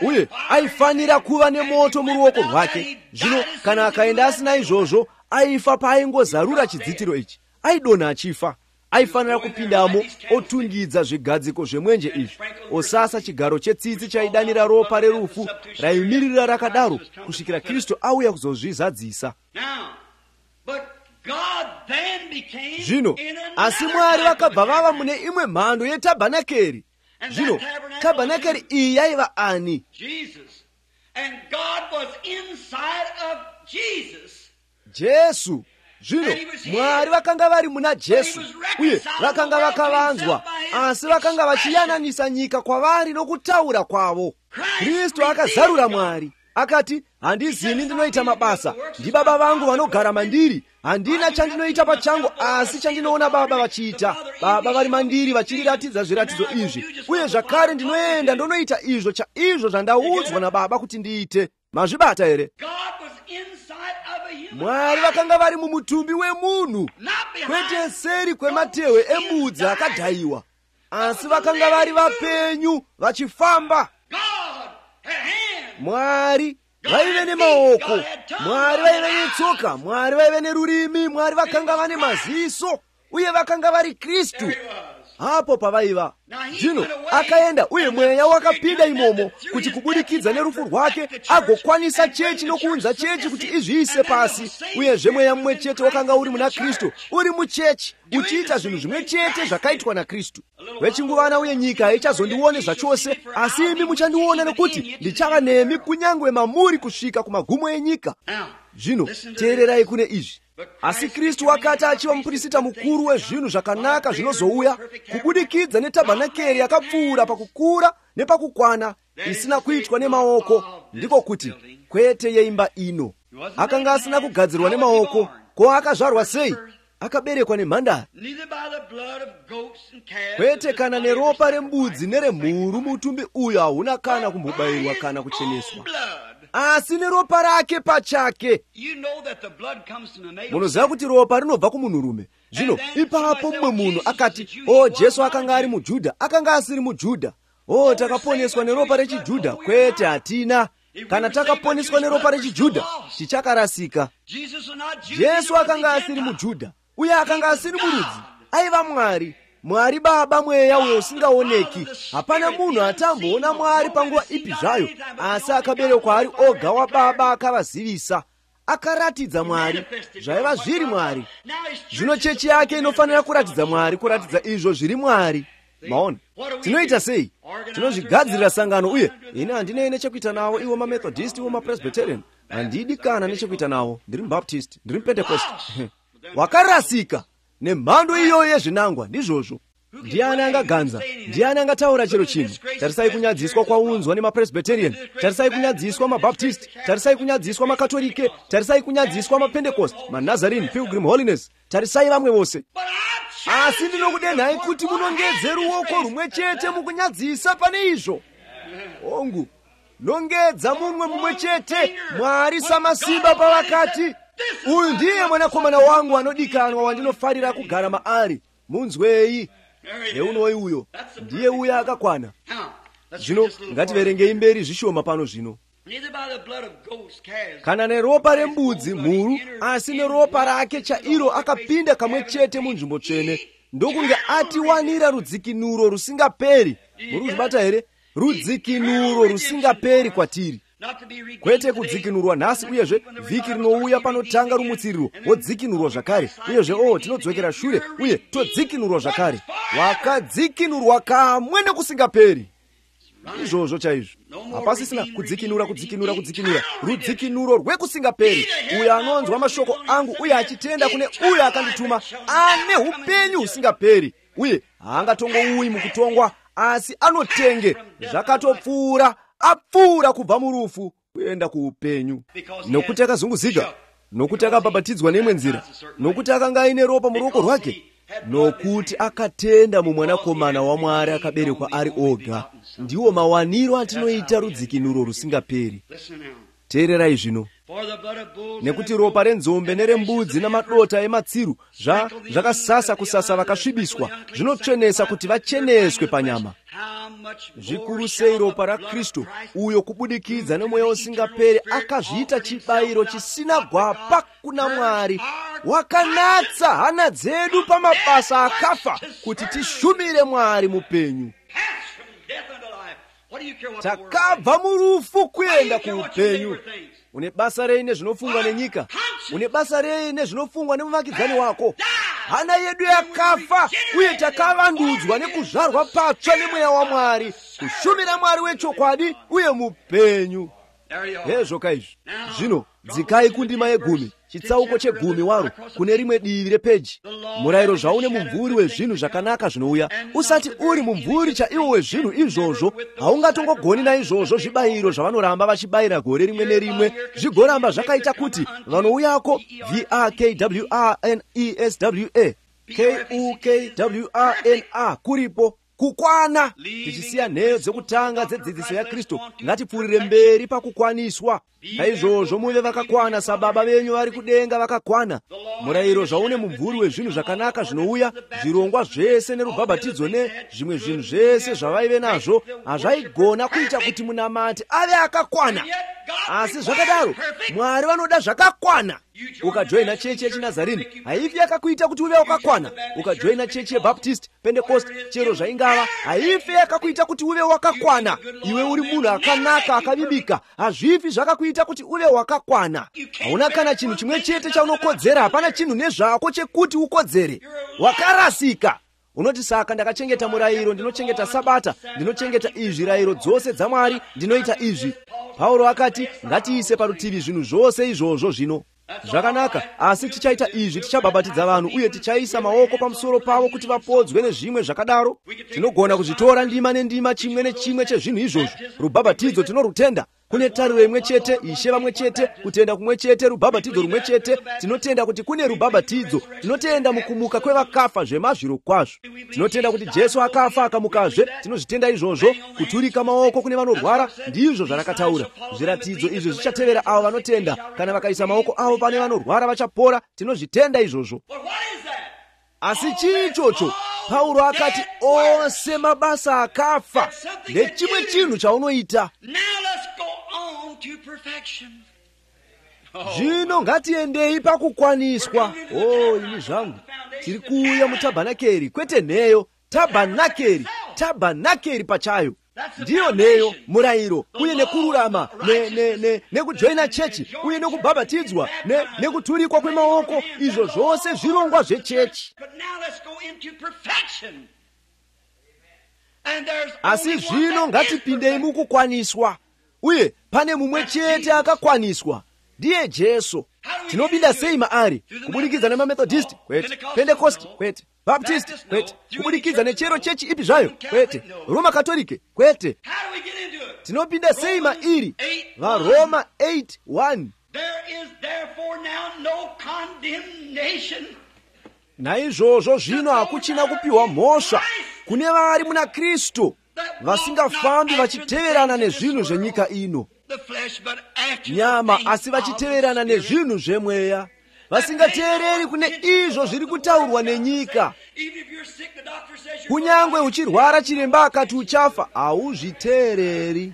Speaker 1: Uye aifanira kuva nemoto muruoko rwake. Zvino kana akaenda asina izvozvo, aifa paaingozarura chidzitiro ichi, aidonha achifa. Aifanira kupindamo otungidza zvigadziko zvemwenje izvi, osasa chigaro chetsitsi chaidanira ropa rerufu, raimirira rakadaro kusvikira Kristu auya kuzozvizadzisa. Zvino asi Mwari vakabva vava mune imwe mhando yetabhanakeri. Zvino tabhanakeri iyi yaiva ani? Jesu. Zvino Mwari vakanga vari muna Jesu, uye vakanga vakavanzwa, asi vakanga vachiyananisa nyika kwavari nokutaura kwavo. Kristu akazarura Mwari, akati, handizini ndinoita mabasa, ndiBaba vangu vanogara mandiri. Handina chandinoita pachangu, asi chandinoona Baba vachiita. Baba vari mandiri vachindiratidza zviratidzo izvi, uye zvakare ndinoenda ndonoita izvo chaizvo zvandaudzwa naBaba kuti ndiite. Mazvibata here? Mwari vakanga vari mumutumbi wemunhu, kwete seri kwematehwe embudzi akadhayiwa, asi vakanga vari vapenyu vachifamba. Mwari vaive nemaoko, Mwari vaive netsoka, Mwari vaive nerurimi, Mwari vakanga vane maziso, uye vakanga vari Kristu hapo pavaiva. Zvino akaenda, uye mweya wakapinda imomo kuti kubudikidza nerufu rwake agokwanisa chechi nokuunza chechi kuti izviise pasi. Uyezve mweya mumwe chete wakanga uri muna Kristu, uri muchechi, uchiita zvinhu zvimwe chete zvakaitwa naKristu. Wechinguvana uye nyika haichazondione zvachose, asi imi muchandiona nokuti ndichava nemi kunyangwe mamuri kusvika kumagumo enyika. Zvino teererai kune izvi. Asi Kristu wakati achiva muprista mukuru wezvinhu zvakanaka zvinozouya, kubudikidza netabhanakeri yakapfuura pakukura nepakukwana, isina kuitwa nemaoko, ndiko kuti kwete yeimba ino. Akanga asina kugadzirwa nemaoko, ko akazvarwa sei? Akaberekwa nemhandara. Kwete kana neropa rembudzi neremhuru, mutumbi uyu hauna kana kumbobayirwa kana kucheneswa, asi neropa rake pachake. Munoziva kuti ropa rinobva kumunhurume. Zvino ipapo mumwe munhu akati, Jesu akanga ari muJudha, akanga asiri muJudha. Takaponeswa neropa rechiJudha. Kwete, hatina. Kana takaponeswa neropa rechiJudha, tichakarasika. Jesu akanga asiri muJudha, uye akanga asiri murudzi, aiva Mwari. Mwari Baba mweya uyo usingaoneki. Hapana munhu atamboona Mwari panguva ipi zvayo, asi akaberekwa ari oga waBaba akavazivisa, akaratidza Mwari zvaiva zviri Mwari. Zvino chechi yake inofanira kuratidza Mwari, kuratidza izvo zviri Mwari. Maona tinoita sei? Tinozvigadzirira sangano, uye ine handine nechekuita nawo iwo maMethodist, iwo maPresbyterian. Handidi kana nechekuita nawo, ndiri muBaptist, ndiri muPentecost. Wakarasika nemhando iyoyo yezvinangwa, ndizvozvo. Ndiani angaganza? Ndiani angataura chero chinhu? Tarisai kunyadziswa kwaunzwa nemaPresbyterian, tarisai kunyadziswa maBaptist, tarisai kunyadziswa maKatolike, tarisai kunyadziswa maPentecost, maNazarene, Pilgrim Holiness, tarisai vamwe vose. Asi ndinokudenhai kuti munongedze ruoko rumwe chete mukunyadzisa pane izvo. Ongu, nongedza mumwe chete, Mwari samasimba pavakati, uyu ndiye mwanakomana wangu anodikanwa wandinofarira kugara maari, munzwei. Neunoi uyo, ndiye uya akakwana. Zvino ngativerengei mberi zvishoma pano zvino. Kana neropa rembudzi, mhuru, asi neropa rake chairo akapinda kamwe chete munzvimbo tsvene, ndokunge atiwanira rudzikinuro rusingaperi. Muri kuzvibata here? Rudzikinuro rusingaperi kwatiri. Kwete kudzikinurwa nhasi, uyezve vhiki rinouya panotanga rumutsiriro wodzikinurwa zvakare, uyezve tinodzokera shure uye todzikinurwa zvakare. Wakadzikinurwa kamwe nekusingaperi. Izvozvo chaizvo. Hapasisina kudzikinura, rudzikinuro rwekusingaperi. Uyo anonzwa mashoko angu uye achitenda kune uyo akandituma ane upenyu husingaperi, uye haangatongouyi mukutongwa, asi anotenge zvakatopfuura, apfuura kubva murufu kuenda kuupenyu. Nokuti akazunguzika, nokuti akabhabhatidzwa neimwe nzira, nokuti akanga aine ropa muruoko rwake, nokuti akatenda mumwanakomana waMwari akaberekwa ari oga. Ndiwo mawaniro atinoita rudzikinuro rusingaperi. Teererai zvino, nekuti ropa renzombe nerembudzi namadota ematsiru zvakasasa kusasa vakasvibiswa zvinotsvenesa kuti vacheneswe panyama. Zvikuru sei ropa raKristu, uyo kubudikidza nemweya usingaperi akazviita chibayiro chisina gwapa kuna Mwari, wakanatsa hana dzedu pamabasa akafa kuti tishumire Mwari mupenyu. Takabva murufu kuenda kuupenyu. Une basa rei nezvinofungwa nenyika? Une basa rei nezvinofungwa nemuvakidzani wako? Hana yedu yakafa, uye takavandudzwa nekuzvarwa patsva nemweya waMwari, kushumira Mwari wechokwadi uye mupenyu. Hezvo izvi. Zvino dzikai kundima ye10, chitsauko che10 waro, kune rimwe divi repeji. Murayiro zvaune mumvuri wezvinhu zvakanaka zvinouya. Usati uri mumvuri chaiwo wezvinhu izvozvo, haungatongogoni naizvozvo zvibayiro zvavanoramba vachibayira gore rimwe nerimwe, zvigoramba zvakaita kuti vanouyako VRKWRNESWA kuripo kukwana. Tichisiya nheyo dzekutanga dzedzidziso yaKristu, ngatipfuurire mberi pakukwaniswa. Naizvozvo muve vakakwana sababa venyu vari kudenga vakakwana. Murayiro zvaune mumvuri wezvinhu zvakanaka zvinouya, zvirongwa zvese nerubhabhatidzo nezvimwe zvinhu zvese zvavaive nazvo, hazvaigona kuita kuti munamati ave akakwana. Asi zvakadaro Mwari vanoda zvakakwana. Ukajoina chechi yechiNazarini, haifi yakakuita kuti uve wakakwana. Ukajoina chechi yeBaptist, Pentecost, chero zvaingava, haifi yakakuita kuti uve wakakwana. Iwe uri munhu akanaka akavibika, hazvifi zvakakuita kuti uve wakakwana. Hauna kana chinhu chimwe chete chaunokodzera, hapana chinhu nezvako chekuti ukodzere. Wakarasika. Unoti saka ndakachengeta murayiro, ndinochengeta Sabata, ndinochengeta izvi zvirayiro dzose dzaMwari, ndinoita izvi. Pauro akati ngatiise parutivi zvinhu zvose izvozvo zvino. Zvakanaka, asi tichaita izvi, tichabhabhatidza vanhu uye tichaisa maoko pamusoro pavo kuti vapodzwe nezvimwe zvakadaro. Tinogona kuzvitora ndima nendima, chimwe nechimwe chezvinhu izvozvo. Rubhabhatidzo tinorutenda. Kune tariro imwe chete, Ishe vamwe chete, kutenda kumwe chete, rubhabhatidzo rumwe chete. Tinotenda kuti kune rubhabhatidzo. Tinotenda mukumuka kwevakafa zvemazviro kwazvo. Tinotenda kuti Jesu akafa akamukazve. Tinozvitenda izvozvo. Kuturika maoko kune vanorwara ndizvo zvarakataura. Zviratidzo izvo zvichatevera avo vanotenda. Kana vakaisa maoko avo pane vanorwara vachapora. Tinozvitenda izvozvo. Asi chii ichocho? Pauro akati ose mabasa akafa nechimwe chinhu chaunoita. Zvino ngatiendei pakukwaniswa. Ini zvangu tiri kuuya mutabhanakeri, kwete nheyo. Tabhanakeri pachayo ndiyo nheyo, murayiro uye nekururama, nekujoina chechi uye nekubhabhatidzwa, nekuturikwa kwemaoko. Izvo zvose zvirongwa zvechechi. Asi zvino ngatipindei mukukwaniswa, uye pane mumwe chete akakwaniswa, ndiye Jesu. Tinopinda sei maari? Kubudikidza nemamethodist? Kwete. Pentecost? Kwete. Baptist? Kwete. Kubudikidza nechero chechi ipi zvayo? Kwete. Roma Katolike? Kwete. Tinopinda sei mairi? VaRoma 8:1. Naizvozvo zvino hakuchina kupiwa mhosva kune vari muna Kristu, vasingafambi vachiteverana nezvinhu zvenyika ino, nyama, asi vachiteverana nezvinhu zvemweya, vasingateereri kune izvo zviri kutaurwa nenyika. Kunyangwe uchirwara chiremba akati uchafa, hauzviteereri.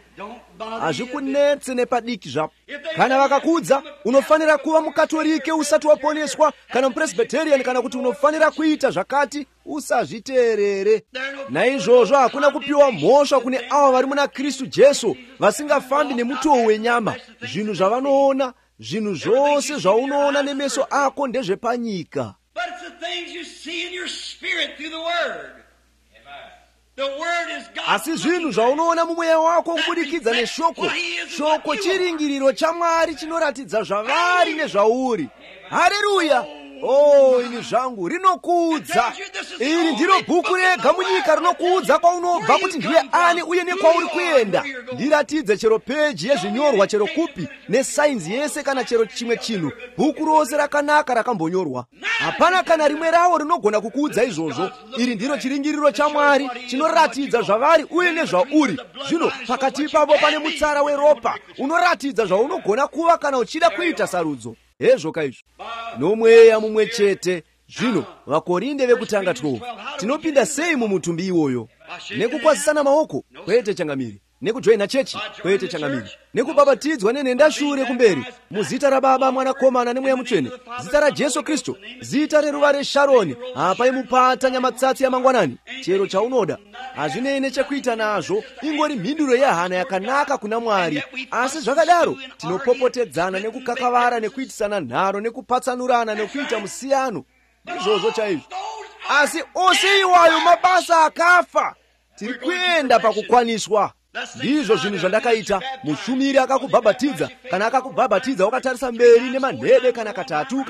Speaker 1: Hazvikunetse nepadiki zvapo. Kana vakakudza unofanira kuva mukatolike usati waponeswa, kana mupresbyterian, kana kuti unofanira kuita zvakati, usazviteerere. Naizvozvo hakuna kupiwa mhosva kune ava vari muna Kristu Jesu, vasingafambi nemutoo wenyama. Zvinhu zvavanoona, zvinhu zvose zvaunoona nemeso ako ndezvepanyika. Asi zvinhu zvaunoona mumweya wako kubudikidza neshoko. Shoko chiringiriro chaMwari chinoratidza zvavari nezvauri. Haleluya! ini zvangu rinokudza. Iri ndiro bhuku rega munyika rinokuudza kwaunobva kuti ndiye ani uye nekwauri kuenda. Ndiratidze chero peji yezvinyorwa chero kupi nesainzi yese kana chero chimwe chinhu. Bhuku rose rakanaka rakambonyorwa. Hapana kana rimwe rawo rinogona kukuudza izvozvo. Iri ndiro chiringiriro chaMwari chinoratidza zvavari uye nezvauri. Zvino pakati pavo pane mutsara weropa unoratidza zvaunogona kuva kana uchida kuita sarudzo. Hezvo izvo nomweya mumwe chete. Zvino vakorinde vekutanga 12 tinopinda sei mumutumbi iwoyo? Nekukwazisana maoko? Kwete changamiri. Nekujoina chechi? Kwete changamiri. Nekubhabhatidzwa nenhenda shure kumberi muzita raBaba, Mwanakomana nemweya mutsvene, zita raJesu Kristu, zita reruva reSharoni, apa imupata nyamatsatsi yamangwanani. Chero chaunoda hazvinei nechekuita nazvo, ingori mhinduro yehana yakanaka kuna Mwari. Asi zvakadaro tinopopotedzana nekukakavara nekuitisana nharo nekupatsanurana nekuita musiyano. Izvozvo chaizvo. Asi ose iwayo mabasa akafa. Tiri kuenda pakukwaniswa. Ndizvo zvinhu zvandakaita. Mushumiri akakubhabhatidza, kana akakubhabhatidza wakatarisa mberi nemanhede kana katatu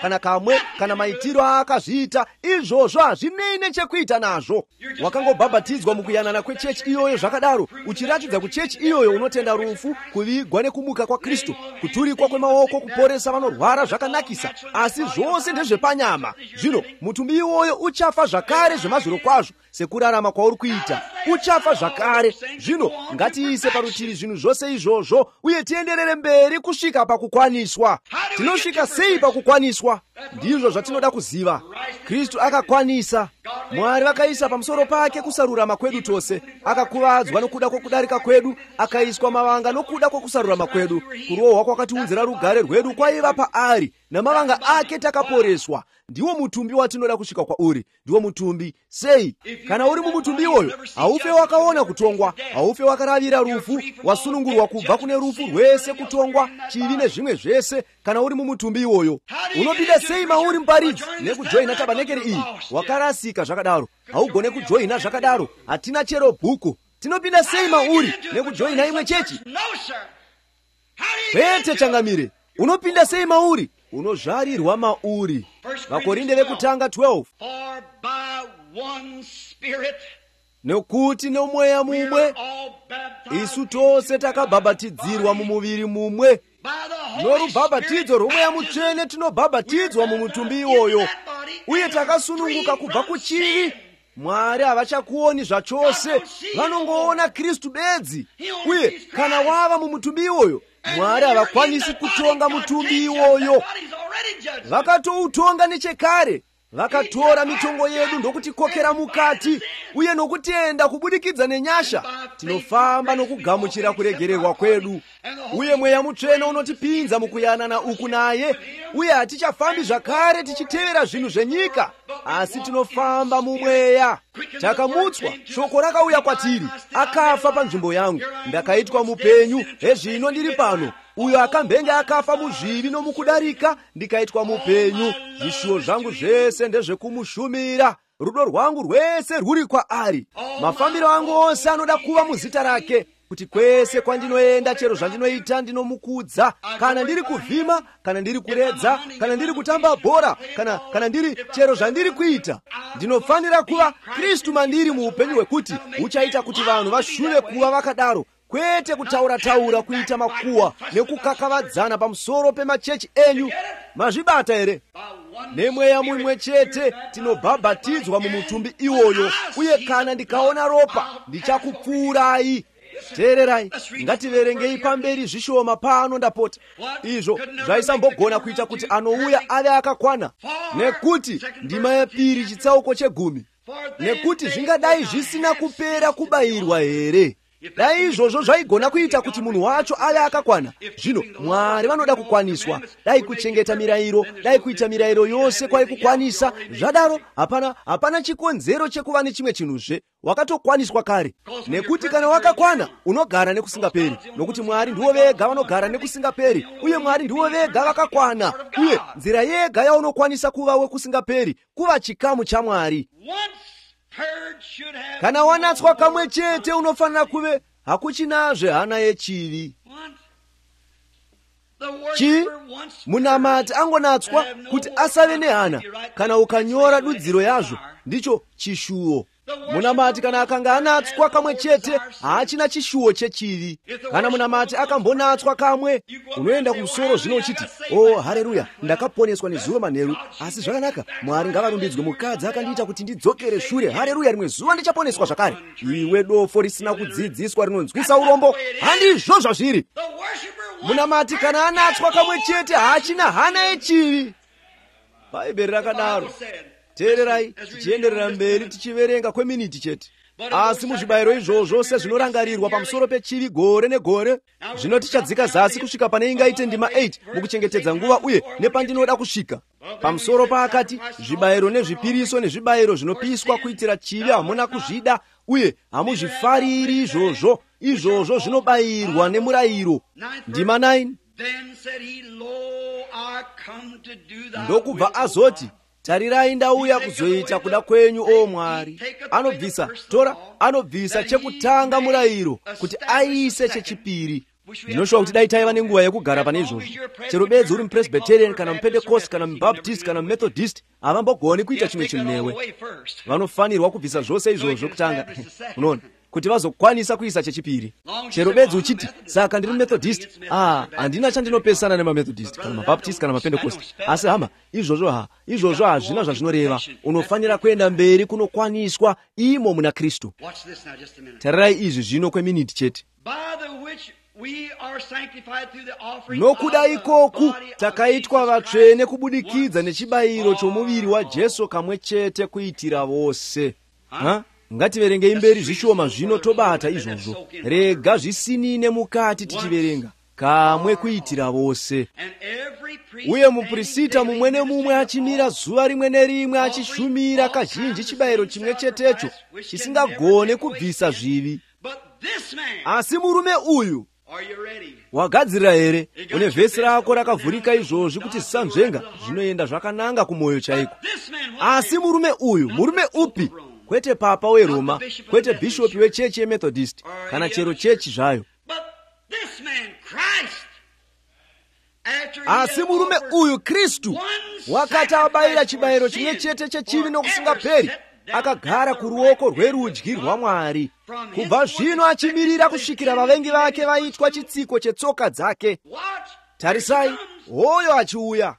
Speaker 1: kana kamwe kana maitiro akazviita, izvozvo hazvinei nechekuita nazvo. Wakangobhabhatidzwa mukuyanana kwechechi iyoyo zvakadaro, uchiratidza kuchechi iyoyo unotenda rufu, kuvigwa nekumuka kwa Kristu, kuturikwa kwemaoko, kuporesa vanorwara zvakanakisa, asi zvose ndezvepanyama. Zvino mutumbi iwoyo uchafa zvakare zvemazuro kwazvo, sekurarama kwauri kuita. Uchafa zvakare. Zvino ngatiise parutivi zvinhu zvose izvozvo uye tienderere mberi kusvika pakukwaniswa. Tinosvika sei pakukwaniswa? Ndizvo zvatinoda kuziva. Kristu akakwanisa. Mwari vakaisa pamusoro pake kusarurama kwedu tose. Akakuvadzwa nokuda kwokudarika kwedu, akaiswa mavanga nokuda kwokusarurama kwedu. Kurohwa kwakatiunzira rugare rwedu kwaiva paari, namavanga ake takaporeswa. Ndiwo mutumbi watinoda kusvika kwauri. Ndiwo mutumbi sei? Kana uri mumutumbi iwoyo, haufe wakaona kutongwa, haufe wakaravira rufu, wasunungurwa kubva kune rufu rwese, kutongwa, chivi nezvimwe zvese. Kana uri mumutumbi iwoyo, unopinda sei mauri muparidzi nekujoina tabanekeri iyi? Wakarasika zvakadaro, haugone kujoina zvakadaro. Hatina chero bhuku. Tinopinda sei mauri nekujoina imwe chechi? Kwete changamire. Unopinda sei mauri? Unozvarirwa mauri. Vakorinde vekutanga 12. Nekuti nomweya mumwe isu tose takabhabhatidzirwa mumuviri mumwe. Norubhabhatidzo rwomweya mutsvene tinobhabhatidzwa mumutumbi iwoyo, uye takasununguka kubva kuchivi. Mwari havachakuoni zvachose, vanongoona Kristu bedzi. Uye kana wava mumutumbi iwoyo, Mwari havakwanisi kutonga mutumbi iwoyo. Vakatoutonga nechekare. Vakatora mitongo yedu ndokutikokera mukati, uye nokutenda kubudikidza nenyasha tinofamba nokugamuchira kuregererwa kwedu. Uye mweya mutsvene unotipinza mukuyanana uku naye, uye hatichafambi zvakare tichitevera zvinhu zvenyika, asi tinofamba mumweya. Takamutswa, shoko rakauya kwatiri, akafa panzvimbo yangu, ndakaitwa mupenyu, hezvino ndiri pano. Uyo akambenge akafa muzvivi nomukudarika, ndikaitwa mupenyu. Zvishuwo zvangu zvese ndezvekumushumira, rudo rwangu rwese rwuri kwaari. Mafambiro angu ose anoda kuva muzita rake, kuti kwese kwandinoenda, chero zvandinoita ndinomukudza. Kana ndiri kuvhima, kana ndiri kuredza, kana ndiri kutamba bhora, kana ndiri chero zvandiri kuita, ndinofanira kuva Kristu mandiri muupenyu hwekuti uchaita kuti vanhu vashuve kuva vakadaro. Kwete kutaura kuita makuwa nekukakavadzana pamusoro pemachechi enyu. Mazvibata here? Nemweya mumwe chete tinobhabhatidzwa mumutumbi iwoyo, uye kana ndikaona ropa ndichakupfuurai. Teererai, ngativerengei pamberi zvishoma pano ndapota. Izvo zvaisambogona kuita kuti anouya ave akakwana. Nekuti ndima yepiri chitsauko 10. Nekuti zvingadai zvisina kupera kubayirwa here? Dai izvozvo zvaigona kuita kuti munhu wacho ave akakwana. Zvino Mwari vanoda kukwaniswa. Dai kuchengeta mirayiro, dai kuita mirayiro yose kwai kukwanisa. Zvadaro hapana chikonzero chekuva nechimwe chinhuzve. Wakatokwaniswa kare. Nekuti kana wakakwana unogara nekusingaperi. Nokuti Mwari ndiwo vega vanogara nekusingaperi, uye Mwari ndiwo vega vakakwana. Uye nzira yega yaunokwanisa kuva wekusingaperi kuva chikamu chaMwari. Kana wanatswa kamwe chete unofanira kuve hakuchinazve hana yechivi. chi munamati angonatswa kuti asave nehana kana ukanyora dudziro yazvo, ndicho chishuwo. Munamati kana akanga anatswa kamwe chete haachina chishuwo chechivi. Kana munamati akambonatswa kamwe, unoenda kumusoro zvino uchiti, oh haleluya, ndakaponeswa nezuva manheru, asi zvakanaka, Mwari ngavarumbidzwe, mukadzi akandiita kuti ndidzokere shure, haleluya, rimwe zuva ndichaponeswa zvakare. Iwe dofo risina kudzidziswa rinonzwisa urombo, handizvo zvazviri. Munamati kana anatswa kamwe chete haachina hana yechivi. Bhaibheri rakadaro. Teererai tichienderera mberi tichiverenga kweminiti chete. Asi muzvibayiro izvozvo sezvinorangarirwa pamusoro pechivi gore negore, zvino tichadzika zasi kusvika pane ingaite ndima 8 mukuchengetedza nguva uye nepandinoda kusvika. Pamusoro paakati zvibayiro nezvipiriso nezvibayiro zvinopiswa kuitira chivi hamuna kuzvida uye hamuzvifariri izvozvo. Izvozvo zvinobayirwa nemurayiro. Ndima 9. Ndokubva azoti, tarirai ndauya kuzoita kuda kwenyu, o Mwari. Anobvisa, Tora anobvisa chekutanga murayiro kuti aise chechipiri. Ndinoshuva kuti dai taiva nenguva yekugara pane izvozvo. Chero bedzi uri mupresbyterian kana mupentecost kana mubaptist kana mumethodist, havambogoni kuita chimwe chinhu newe. Vanofanirwa kubvisa zvose izvozvo kutanga. Unoona? Kuti vazokwanisa kuisa chechipiri. Chero bedzi uchiti, saka ndiri Methodist, handina chandinopesana nemamethodist kana mabaptist kana mapentecost. Asi hama, izvozvo hazvina zvazvinoreva. Unofanira kuenda mberi kunokwaniswa imo muna Kristu. Tarirai izvi zvino kweminiti chete. Nokuda ikoku takaitwa vatsvene kubudikidza nechibayiro chomuviri waJesu kamwe chete kuitira vose. Ngativerengei mberi zvishoma zvino tobata izvozvo. Rega zvisinine mukati tichiverenga. Kamwe kuitira vose. Uye muprista mumwe nemumwe achimira zuva rimwe nerimwe achishumira kazhinji chibayiro chimwe chetecho chisingagone kubvisa zvivi. Asi murume uyu, wagadzirira here? Une vhesi rako rakavhurika izvozvi kuti zisamvenga, zvinoenda zvakananga kumoyo chaiko. Asi murume uyu, murume upi? Kwete papa weRoma, kwete bishopi wechechi yeMethodist, kana chero chechi zvayo. Asi murume uyu Kristu, wakati abayira chibayiro chimwe chete chechivi nokusingaperi, akagara kuruoko rwerudyi rwaMwari. Kubva zvino achimirira kusvikira vavengi vake vaitwa chitsiko chetsoka dzake. Tarisai, hoyo achiuya.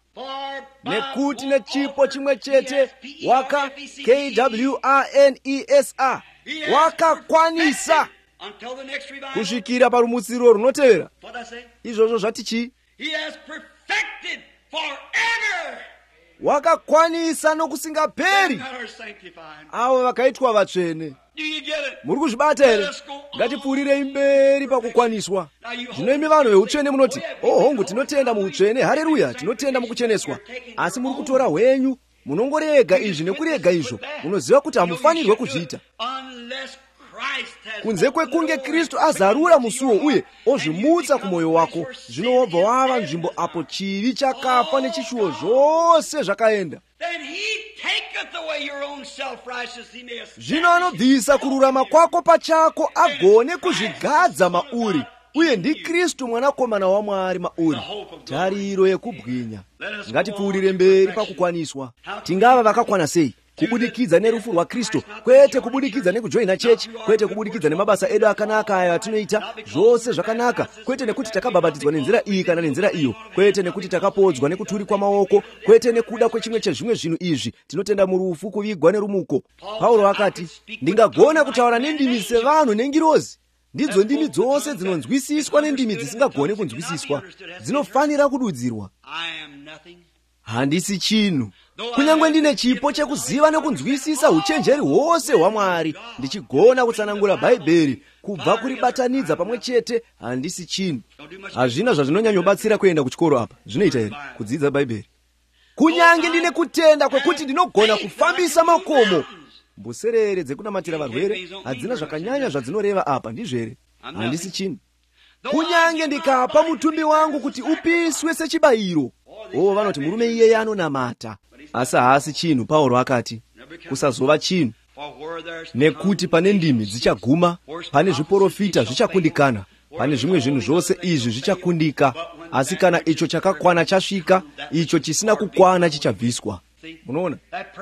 Speaker 1: Nekuti nechipo chimwe chete waka KWANESA wakakwanisa kusvikira parumutsiro runotevera. Izvozvo zvati chi? Wakakwanisa nokusingaperi avo vakaitwa vatsvene. Muri kuzvibata here? Ngatipfuurirei mberi pakukwaniswa. Zvino imi vanhu veutsvene munoti, oh hongu, tinotenda muutsvene, haleluya, tinotenda mukucheneswa. Asi muri kutora hwenyu, munongorega izvi nekurega izvo. Munoziva kuti hamufanirwe kuzviita. Kunze kwekunge Kristu azarura musuwo uye ozvimutsa kumoyo wako, zvino wobva wava nzvimbo apo chivi chakafa nechishuwo zvose zvakaenda. Zvino anobvisa kururama kwako pachako agone kuzvigadza mauri. Uye ndi Kristu mwanakomana waMwari mauri, tariro yekubwinya. Ngatipfuurire mberi pakukwaniswa. Tingava vakakwana sei? Kubudikidza nerufu rwaKristu, kwete kubudikidza nekujoina chechi, kwete kubudikidza nemabasa edu akanaka ayo atinoita, zvose zvakanaka, kwete nekuti takabhabhatidzwa nenzira iyi kana nenzira iyo, kwete nekuti takapodzwa nekuturikwa maoko, kwete nekuda kwechimwe chezvimwe zvinhu izvi, tinotenda murufu, kuvigwa nerumuko. Paulo akati, ndingagona kutaura nendimi sevanhu nengirozi. Ndidzo ndimi dzose dzinonzwisiswa nendimi dzisingagone kunzwisiswa. Dzinofanira kududzirwa. Handisi chinhu. Kunyangwe ndine chipo chekuziva nekunzwisisa uchenjeri hwose hwaMwari, ndichigona kutsanangura Bhaibheri kubva kuribatanidza pamwe chete, handisi chinhu. Hazvina zvazvinonyanyobatsira kuenda kuchikoro apa. Zvinoita here kudzidza Bhaibheri? Kunyange ndine kutenda kwekuti ndinogona kufambisa makomo. Mbuserere dzekunamatira varwere hadzina zvakanyanya zvadzinoreva apa, ndizvo here? Handisi chinhu. Kunyange ndikapa mutumbi wangu kuti upiswe sechibayiro, oh vanoti murume iyeye anonamata. Asi haasi chinhu. Paulo akati kusazova chinhu. Nekuti pane ndimi dzichaguma, pane zviprofita zvichakundikana, pane zvimwe zvinhu zvose izvi zvichakundika, asi kana icho chakakwana chasvika, icho chisina kukwana chichabviswa. Munoona,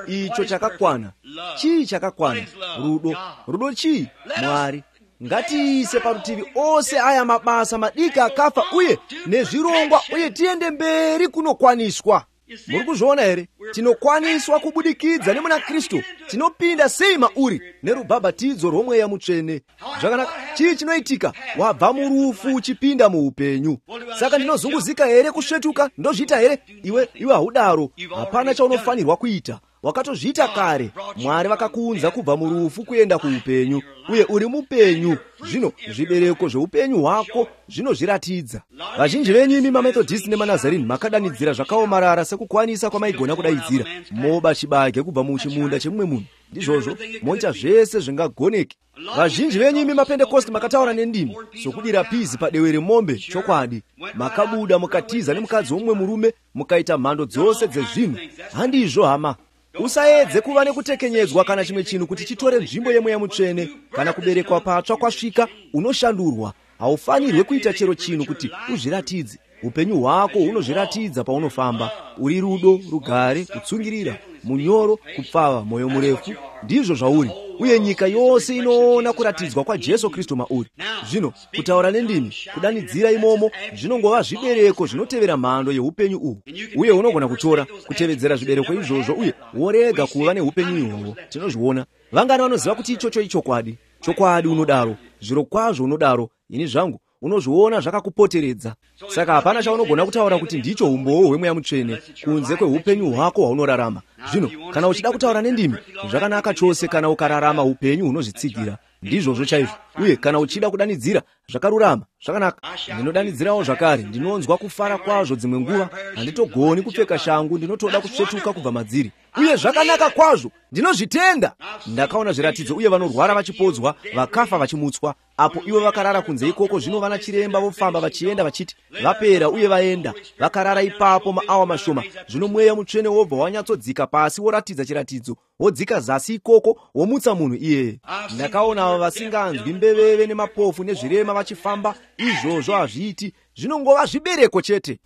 Speaker 1: icho chakakwana. Chii chakakwana? Rudo. Rudo chii? Mwari. Ngatiise parutivi ose aya mabasa madiki akafa uye nezvirongwa, uye tiende mberi kunokwaniswa. Muri kuzviona here? Tinokwaniswa kubudikidza nemuna Kristu. Tinopinda sei mauri nerubhabhatidzo rwomweya mutsvene. Zvakanaka. Chii chinoitika? Wabva murufu uchipinda muupenyu. Saka ndinozunguzika here kusvetuka? Ndozviita here? Iwe haudaro. Hapana chaunofanirwa kuita. Wakatozviita kare. Mwari vakakuunza kubva murufu kuenda kuupenyu, uye uri mupenyu. Zvino zvibereko zveupenyu hwako zvinozviratidza. Vazhinji venyu imi maMethodist nemanazareni makadanidzira zvakaomarara sekukwanisa kwamaigona kudaidzira. Moba chibage kubva muchimunda chemumwe munhu. Ndizvozvo moita zvese zvingagoneke. Vazhinji venyu imi maPentekosti makataura nendimi sokudira pizi padehwe remombe. Chokwadi, makabuda mukatiza nemukadzi womumwe murume, mukaita mhando dzose dzezvinhu. Handizvo hama. Usaedze kuva nekutekenyedzwa kana chimwe chinhu kuti chitore nzvimbo yemweya mutsvene. Kana kuberekwa patsva kwasvika, unoshandurwa. Haufanirwe kuita chero chinhu kuti uzviratidze. Upenyu hwako hunozviratidza paunofamba. Uri rudo, rugare, kutsungirira, munyoro, kupfava, mwoyo murefu. Ndizvo zvauri. Uye nyika yose inoona kuratidzwa kwa Jesu Kristu mauri. Zvino kutaura nendimi, kudanidzira imomo, zvinongova zvibereko zvinotevera mhando yeupenyu uhu. Uye unogona kutora kutevedzera zvibereko izvozvo uye worega kuva neupenyu ihwohwo. Tinozviona. Vangana vanoziva kuti ichocho ichokwadi. Chokwadi unodaro. Zviro kwazvo unodaro. Ini zvangu unozviona zvakakupoteredza. Saka hapana chaunogona kutaura kuti ndicho umbowo hwemweya mutsvene kunze kweupenyu hwako hwaunorarama. Zvino kana uchida kutaura nendimi, zvakanaka chose kana ukararama upenyu hunozvitsigira. Ndizvozvo chaizvo. Uye kana uchida kudanidzira, zvakarurama, zvakanaka. Ndinodanidzirawo zvakare, ndinonzwa kufara kwazvo dzimwe nguva, handitogoni kupfeka shangu, ndinotoda kusvetuka kubva madziri. Uye zvakanaka kwazvo, ndinozvitenda. Ndakaona zviratidzo, uye vanorwara vachipodzwa, vakafa vachimutswa. Apo ivo vakarara kunze ikoko, zvino vana chiremba vofamba vachienda vachiti vapera uye vaenda. Vakarara ipapo maawa mashoma. Zvino mweya mutsvene wobva wanyatsodzika pasi woratidza chiratidzo. Wodzika zasi ikoko womutsa munhu iyeye. Ndakaona ava vasinganzwi, mbeveve nemapofu nezvirema vachifamba. Izvozvo hazviiti, zvinongova zvibereko chete.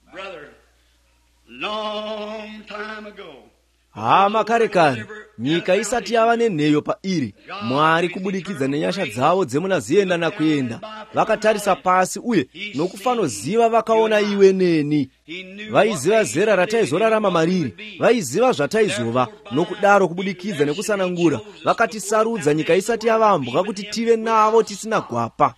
Speaker 1: Hama kare kare, nyika isati yava nenheyo pairi, Mwari kubudikidza nenyasha dzavo dzemunazienda nakuenda, vakatarisa pasi uye nokufanoziva vakaona iwe neni. Vaiziva zera rataizorarama mariri, vaiziva zvataizova, nokudaro kubudikidza nekusanangura, vakatisarudza nyika isati yavambwa kuti tive navo tisina gwapa.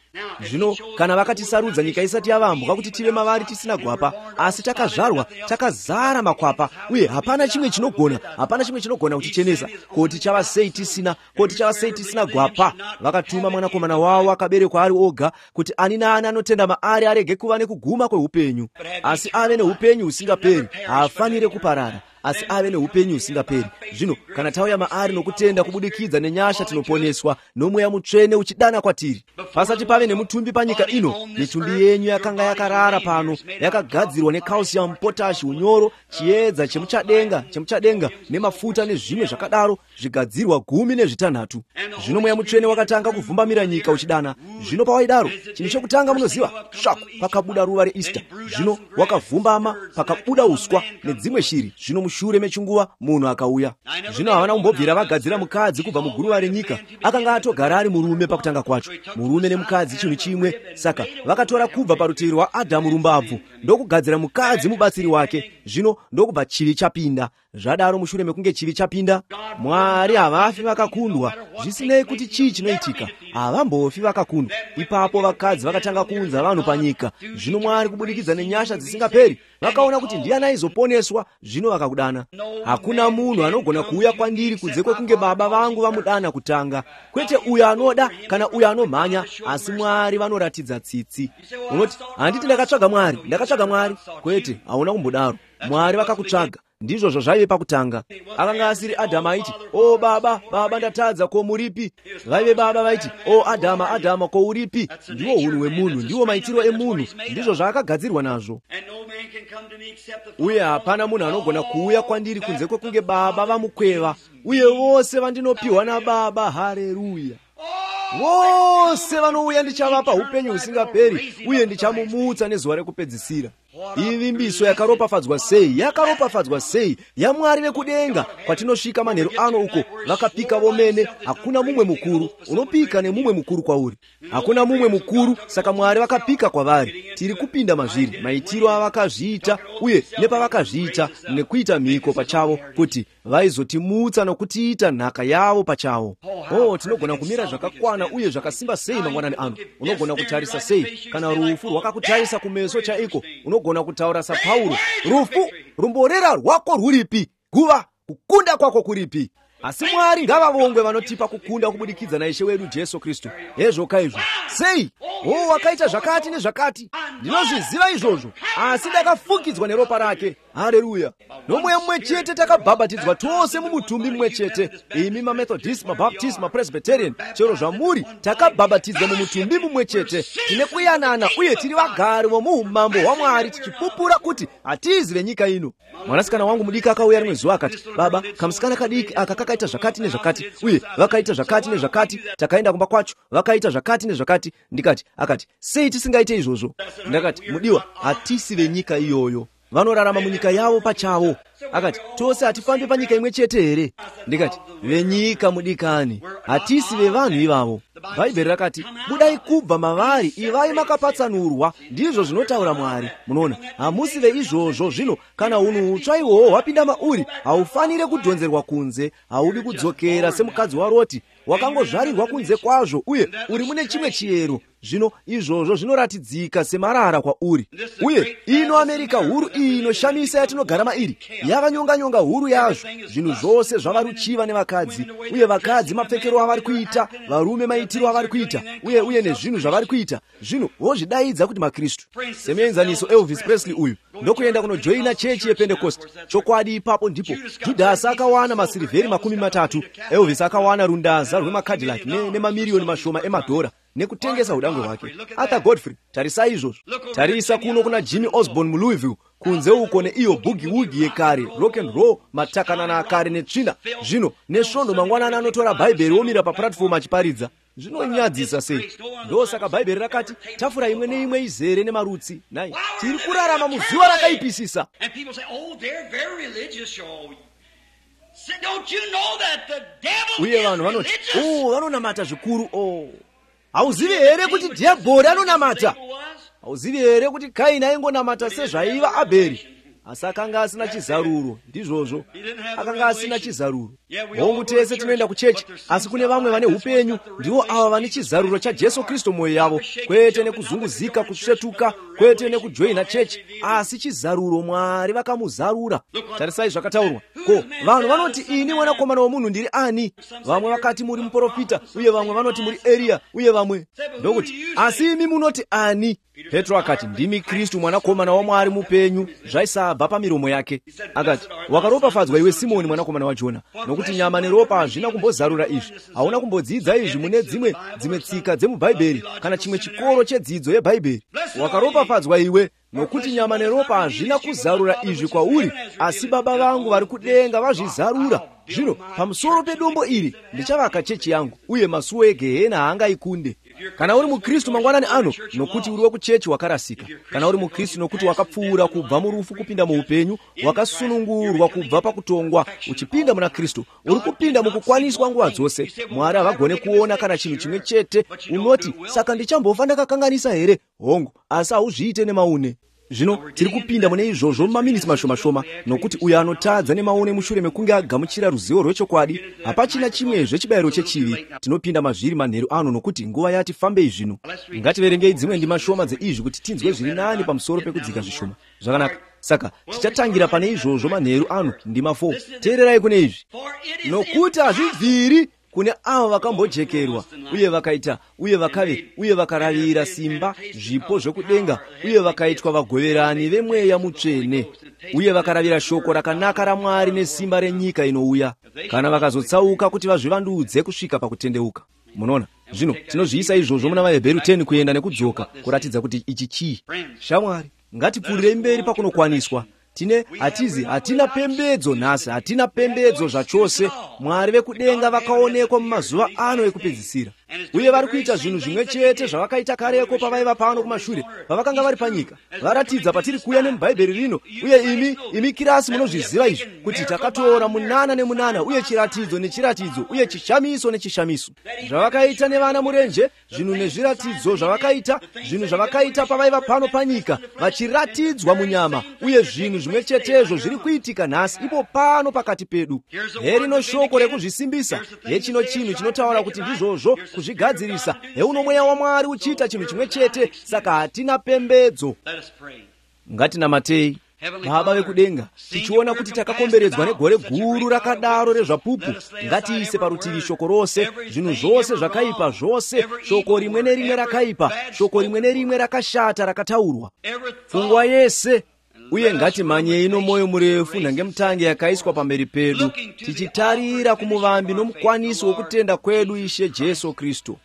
Speaker 1: Zvino kana vakatisarudza nyika isati yavambwa kuti tive mavari tisina gwapa, asi takazvarwa, takazara makwapa, uye hapana chimwe chinogona kutichenesa. Koti chava sei tisina gwapa. Vakatuma mwanakomana wavo akaberekwa ari oga, kuti ani naani anotenda maari arege kuva nekuguma kweupenyu, asi ave neupenyu usingaperi. Haafanire kuparara, asi ave neupenyu usingaperi. Zvino kana tauya maari nokutenda kubudikidza nenyasha, tinoponeswa nomweya mutsvene uchidana kwatiri. Pasati pave nemutumbi panyika ino, mitumbi yenyu yakanga yakarara pano, yakagadzirwa necalcium, potashi, unyoro, chiedza chemuchadenga nemafuta nezvimwe zvakadaro, zvigadzirwa 16. Zvino mweya mutsvene wakatanga kuvhumbamira nyika uchidana. Zvino pawaidaro, chinhu chokutanga munoziva, shaku pakabuda ruva reEaster. Zvino wakavhumbama, pakabuda uswa nedzimwe shiri. Zvino mushure mechinguva munhu akauya. Zvino havana kumbobvira vagadzira mukadzi kubva muguruva renyika. Akanga atogara ari murume pakutanga kwacho, murume nemukadzi chinhu chimwe. Saka vakatora kubva parutivi rwaAdhamu rumbabvu ndokugadzira mukadzi mubatsiri wake. Zvino ndokubva chivi chapinda. Zvadaro mushure mekunge chivi chapinda, Mwari havafi vakakundwa. Zvisinei kuti chii chinoitika, havambofi vakakundwa. Ipapo vakadzi vakatanga kuunza vanhu panyika. Zvino Mwari kubudikidza nenyasha dzisingaperi, vakaona kuti ndiani aizoponeswa. Zvino vakakudana. Hakuna munhu anogona kuuya kwandiri kunze kwekunge Baba vangu vamudana kutanga. Kwete uyo anoda kana uyo anomhanya, asi Mwari vanoratidza tsitsi. Unoti, handiti ndakatsvaga Mwari. Kwete, hauna kumbodaro. Mwari vakakutsvaga. Ndizvo zvaive pakutanga. Akanga asiri Adhamu aiti, "O Baba, ndatadza, ko muripi?" Vaive baba vaiti, "O Adhamu, ko uripi?" Ndiwo unhu hwemunhu, ndiwo maitiro emunhu, ndizvo zvaakagadzirwa nazvo. Uye hapana munhu anogona kuuya kwandiri kunze kwekunge Baba vamukweva, uye vose vandinopiwa naBaba. Haleluya. wose vanouya ndichavapa upenyu husingaperi, uye ndichamumutsa nezuva rekupedzisira. Ivimbiso yakaropafadzwa sei, yakaropafadzwa sei yaMwari vekudenga. Kwatinosvika manheru ano uko vakapika vomene, hakuna mumwe mukuru. Unopika nemumwe mukuru kwauri, hakuna mumwe mukuru, saka Mwari vakapika kwavari. Tiri kupinda mazviri maitiro avakazviita, uye nepavakazviita nekuita mhiko pachavo kuti vaizotimutsa nokutiita nhaka yavo pachavo. Tinogona kumira zvakakwana uye zvakasimba sei mangwanani ano. Unogona kutarisa sei kana rufu rwakakutarisa kumeso chaiko. Unogona kutaura saPauro, rufu rumborera rwako rwuripi, guva kukunda kwako kuripi. Asi Mwari ngavavongwe vanotipa kukunda kubudikidza naIshe wedu Jesu Kristu. Hezvoka izvo sei? Wakaita zvakati nezvakati. Ndinozviziva izvozvo, asi ndakafukidzwa neropa rake. Haleluya. Nomweya mumwe chete takabhabhatidzwa tose mumutumbi mumwe chete. Imi maMethodist, maBaptist, maPresbyterian, chero zvamuri takabhabhatidzwa mumutumbi mumwe chete. Tine kuyanana uye tiri vagari vomuumambo hwaMwari, tichipupura kuti hatizi venyika ino. Mwanasikana wangu mudiki akauya rimwe zuva akati, baba, kamusikana kadiki aka kakaita zvakati nezvakati, uye vakaita zvakati nezvakati. Takaenda kumba kwacho, vakaita zvakati nezvakati. Ndikati, akati, sei tisingaite izvozvo? Ndakati, mudiwa, hatisi venyika iyoyo, vanorarama munyika yavo pachavo. Akati, tose hatifambi panyika imwe chete here? Ndikati, venyika mudikani, hatisi vevanhu ivavo. Bhaibheri rakati, budai kubva mavari, ivai makapatsanurwa, ndizvo zvinotaura Mwari. Munoona, hamusi veizvozvo. Zvino kana unhu hutsva ihwohwo hwapinda mauri, haufanire kudhonzerwa kunze. Haudi kudzokera semukadzi waRoti, wakangozvarirwa kunze kwazvo, uye uri mune chimwe chiyero. Zvino izvozvo zvinoratidzika semarara kwauri. Uye ino Amerika huru iyi inoshamisa yatinogara mairi, yava nyonga huru yazvo. Zvinhu zvose zvava ruchiva nevakadzi, uye vakadzi mapfekero avari kuita, varume maitiro avari kuita, uye nezvinhu zvavari kuita. Zvino vozvidaidza kuti maKristu. Semuenzaniso Elvis Presley uyu ndokuenda kunojoina chechi yePentecost. Chokwadi ipapo ndipo Judhasi akawana masilivheri 30, Elvis akawana rundaza rwemakadhilaki nemamiliyoni mashoma emadhora nekutengesa udangwe hwake. Arthur Godfrey, tarisa izvozvo. Tarisa kuno kuna Jimmy Osborne muLouisville, kunze uko neiyo boogie woogie yekare, rock and roll, matakanana akare netsvina. Zvino nesvondo mangwanana anotora Bhaibheri omira paplatform achiparidza. Zvinonyadzisa sei. Ndosaka Bhaibheri rakati, tafura imwe neimwe izere nemarutsi. Nai, tiri kurarama muzuva rakaipisisa. Uye vanhu vanoti, vanonamata zvikuru. Hauzivi here kuti dhiabhori anonamata? Hauzivi here kuti Kaini aingonamata sezvaiva Abheri? Asi akanga asina chizaruro. Ndizvozvo, akanga asina chizaruro. Hongu tese tinoenda kuchechi, asi kune vamwe vane upenyu, ndivo ava vane chizaruro chaJesu Kristu mwoyo yavo. Kwete nekuzunguzika, kusvetuka, kwete nekujoina chechi, asi chizaruro Mwari vakamuzarura. Tarisai zvakataurwa. Ko, vanhu vanoti ini mwanakomana womunhu ndiri ani? Vamwe vakati muri muprofita, uye vamwe vanoti muri Elia, uye vamwe ndokuti asi imi munoti ani? Petro akati, ndimi Kristu mwanakomana waMwari mupenyu, zvaisabva pamiromo yake. Akati, wakaropafadzwa iwe Simoni mwanakomana waJona, nokuti nyama neropa hazvina kumbozarura izvi. Hauna kumbodzidza izvi mune dzimwe tsika dzemuBhaibheri kana chimwe chikoro chedzidzo yeBhaibheri. Wakaropafadzwa iwe, nokuti nyama neropa hazvina kuzarura izvi kwauri, asi Baba vangu vari kudenga vazvizarura. Zvino pamusoro pedombo iri ndichavaka chechi yangu, uye masuo eGehena haangaikunde. Kana uri muKristu mangwanani ano, nokuti uri wekuchechi wakarasika. Kana uri muKristu nokuti wakapfuura kubva murufu kupinda muupenyu, wakasunungurwa kubva pakutongwa uchipinda muna Kristu, uri kupinda mukukwaniswa nguva dzose. Mwari havagone kuona kana chinhu chimwe chete. Unoti, saka ndichambofa ndakakanganisa here? Hongu, asi hauzviite nemaune. Zvino tiri kupinda mune izvozvo mumaminitsi mashoma, nokuti uyo anotadza nemaune mushure mekunge agamuchira ruzivo rwechokwadi, hapachina chimwezve chibayiro chechivi. Tinopinda mazviri manheru ano, nokuti nguva yati fambei zvino. Ngativerengei dzimwe ndima shoma dzeizvi kuti tinzwe zviri nani pamusoro pekudzika zvishoma. Zvakanaka. Saka tichatangira pane izvozvo manheru ano, ndima 4. Teererai kune izvi. Nokuti hazvibviri kune avo vakambojekerwa, uye vakaita, uye vakave, uye vakaravira simba, zvipo zvekudenga, uye vakaitwa vagoverani vemweya mutsvene, uye vakaravira shoko rakanaka raMwari nesimba renyika inouya, kana vakazotsauka kuti vazvivandudze kusvika pakutendeuka. Munoona, zvino tinozviisa izvozvo muna vaHebheru 10 kuenda nekudzoka, kuratidza kuti ichi chii. Shamwari, ngatipfuurire mberi pakunokwaniswa. Hatina pembedzo nhasi, hatina pembedzo zvachose. Mwari vekudenga vakaonekwa mumazuva ano ekupedzisira. uye vari kuita zvinhu zvimwe chete zvavakaita kareko pavaiva pano kumashure pavakanga vari panyika. Varatidza patiri kuuya nemubhaibheri rino, uye imi kirasi munozviziva izvi, kuti takatora munana nemunana, uye chiratidzo nechiratidzo, uye chishamiso nechishamiso. Zvavakaita nevana murenje, zvinhu nezviratidzo zvavakaita, zvinhu zvavakaita pavaiva pano panyika, vachiratidzwa munyama, uye zvinhu zvimwe chetezvo zviri kuitika nhasi ipo pano pakati pedu. Herino shoko rekuzvisimbisa, hechino chinhu chinotaura kuti ndizvozvo kuzvigadzirisa. Heuno mweya waMwari uchiita chinhu chimwe chete, saka hatina pembedzo. Ngatinamatei. Baba vekudenga, tichiona kuti takakomberedzwa negore guru rakadaro rezvapupu, ngatiise parutivi shoko rose, zvinhu zvose zvakaipa zvose, shoko rimwe nerimwe rakaipa, shoko rimwe nerimwe rakashata rakataurwa, pfungwa yese. Uye ngatimanyei nomwoyo murefu nangemutange yakaiswa pamberi pedu, tichitarira kumuvambi nomukwanisi wokutenda kwedu, Ishe Jesu Kristu.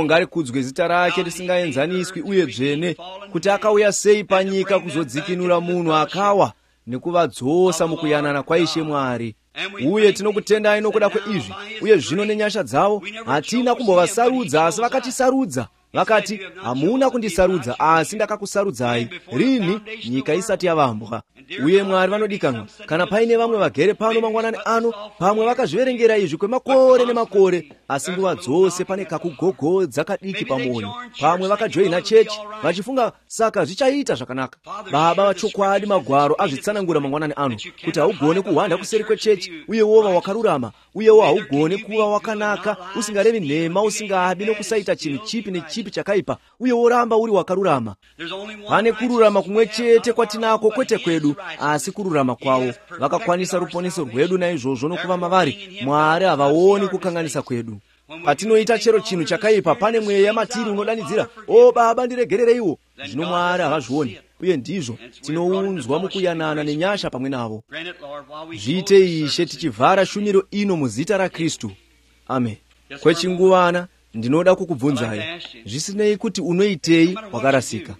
Speaker 1: Ngarikudzwe zita rake risingaenzaniswi uye dzvene, kuti akauya sei panyika kuzodzikinura munhu akawa nekuvadzosa mukuyanana kwaIshe Mwari. Uye tinokutendai nokuda kweizvi, uye zvino nenyasha dzavo hatina kumbovasarudza, asi vakatisarudza. Vakati, hamuna kundisarudza, asi ndakakusarudzai rini nyika isati yavambwa. Uye Mwari vanodikanwa, kana paine vamwe vagere pano mangwanani ano, pamwe vakazviverengera izvi kwemakore nemakore, asi nguva dzose pane kakugogodza kadiki pamwoyo. Pamwe vakajoina chechi vachifunga saka zvichaita zvakanaka. Baba vachokwadi, magwaro azvitsanangura mangwanani ano, kuti haugone kuhwanda kuseri kwechechi, uye wova wakarurama, uyewo haugone kuva wakanaka, usingarevi nhema, usingabi nokusaita chinhu chipi nechipi chakaipa, uye woramba uri wakarurama. Pane kururama kumwe chete kwatinako, kwete kwedu, asi kururama kwavo. Vakakwanisa ruponeso rwedu, naizvozvo nokuva mavari, Mwari havaoni kukanganisa kwedu. Patinoita chero chinhu chakaipa, pane mweya matiri unodanidzira, o Baba ndiregerereiwo. Zvino Mwari havazvioni, uye ndizvo tinounzwa mukuyanana nenyasha pamwe navo. Zviite Ishe tichivhara shumiro ino muzita raKristu. Amen. Kwechinguvana ndinoda kukubvunzai, zvisinei kuti unoitei wakarasika.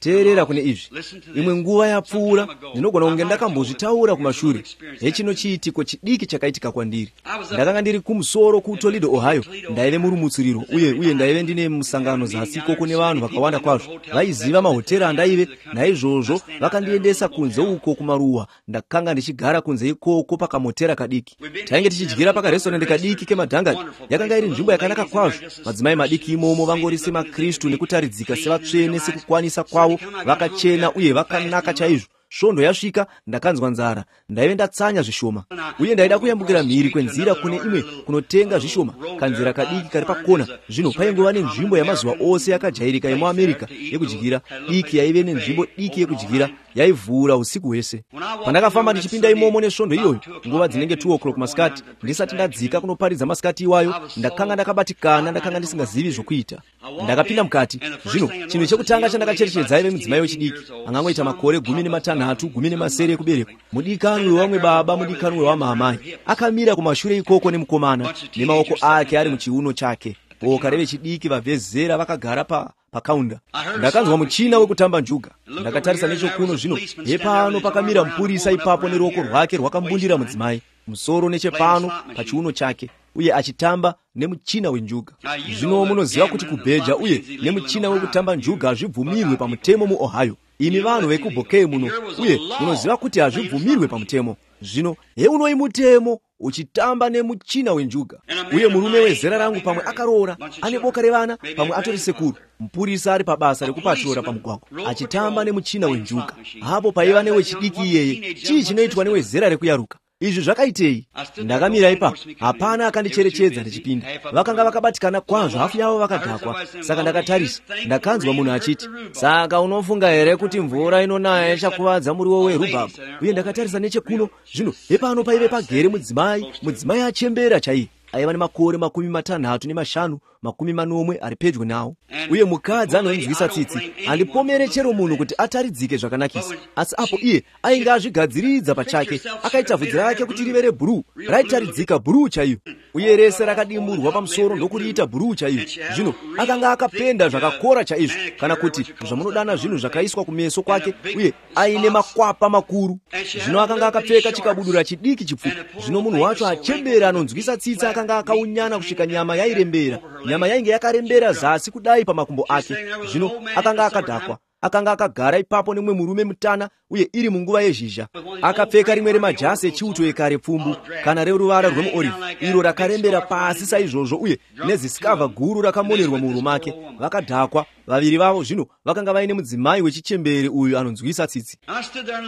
Speaker 1: Teerera kune izvi. Imwe nguva yapfuura, ndinogona kunge ndakambozvitaura kumashure. Hechino chiitiko chidiki chakaitika kwandiri. Ndakanga ndiri kumusoro kuToledo, Ohio. Ndaive murumutsiriro, uye ndaive ndine musangano zasi koko nevanhu vakawanda kwazvo. Vaiziva mahotera andaive, naizvozvo vakandiendesa kunze uko kumaruwa. Ndakanga ndichigara kunze ikoko pakamotera kadiki. Tainge tichidyira pakarestorandi kadiki kemadhangani. Yakanga iri nzvimbo yakanaka kwazvo. Madzimai madiki imomo vangori semaKristu nekutaridzika sevatsvene sekukwanisa kwavo, vakachena uye vakanaka chaizvo. Svondo yasvika, ndakanzwa nzara, ndaive ndatsanya zvishoma, uye ndaida kuyambukira mhiri kwenzira kune imwe kunotenga zvishoma, kanzira kadiki kari pakona. Zvino paingova nenzvimbo yamazuva ose yakajairika yemuAmerika yekudyira, diki yaive nenzvimbo diki yekudyira, yaivhura usiku hwese. Pandakafamba ndichipinda imomo nesvondo iyoyo, nguva dzinenge 2 o'clock masikati, ndisati ndadzika kunoparidza masikati iwayo, ndakanga ndakabatikana, ndakanga ndisingazivi zvokuita. Ndakapinda mukati. Zvino chinhu chekutanga chandakacherechedza aive mudzimai wechidiki, angangoita makore 16, 17 ekuberekwa, mudikanwi wevamwe baba, mudikanwi wevamamai. Akamira kumashure ikoko nemukomana, nemaoko ake ari muchiuno chake. Boka revechidiki vabvezera vakagara pakaunda. Ndakanzwa muchina wekutamba njuga. Ndakatarisa nechokuno, zvino hepano pakamira mupurisa ipapo neruoko rwake rwakambundira mudzimai, musoro nechepano pachiuno chake, uye achitamba nemuchina wenjuga. Zvino munoziva kuti kubheja uye nemuchina wekutamba njuga hazvibvumirwe pamutemo muOhio. Imi vanhu vekubhokei muno, uye munoziva kuti hazvibvumirwe pamutemo. Zvino heunoi mutemo uchitamba nemuchina wenjuga. Uye murume wezera rangu pamwe akaroora, ane boka revana, pamwe atori sekuru, mupurisa ari pabasa rekupatrora pamugwagwa, achitamba nemuchina wenjuga. Hapo paiva newechidiki iyeye, chii chinoitwa newezera rekuyaruka? Izvi zvakaitei? Ndakamira ipapo, hapana akandicherechedza ndichipinda. Vakanga vakabatikana kwazvo, hafu yavo vakadhakwa. Saka ndakatarisa, ndakanzwa munhu achiti, saka unofunga here kuti mvura inonaya ichakuvadza muriwo werubhabha? Uye ndakatarisa nechekuno, zvino hepano paive pagere mudzimai achembera chaiye. Aiva nemakore 65, 40 ari pedyo nawo. Uye mukadzi anonzwisa tsitsi andipomere chero munhu kuti ataridzike zvakanakisa. Asi apo iye ainge azvigadziridza pachake, akaita bvudzi rake kuti rive rebhuruu, raitaridzika bhuruu chaiyo. Uye rese rakadimburwa pamusoro ndokuriita bhuruu chaiyo. Zvino akanga akapenda zvakakora chaizvo, kana kuti zvamunodana zvinhu zvakaiswa kumeso kwake, uye aine makwapa makuru. Zvino akanga akapfeka chikabudura chidiki chipfupi. Zvino munhu wacho achembera anonzwisa tsitsi akanga akaunyana kusvika nyama yairembera. Nyama yainge yakarembera zasi kudai pamakumbo ake. Zvino akanga akadhakwa. Akanga akagara ipapo nemwe murume mutana, uye iri munguva yezhizha. Akapfeka rimwe remajasi echiuto ekare pfumbu, kana reruvara rwemuorive, iro rakarembera pasi saizvozvo, uye nezisikavha guru rakamonerwa muhuro make. Vakadhakwa vaviri vavo. Zvino vakanga vaine mudzimai wechichembere uyu anonzwisa tsitsi.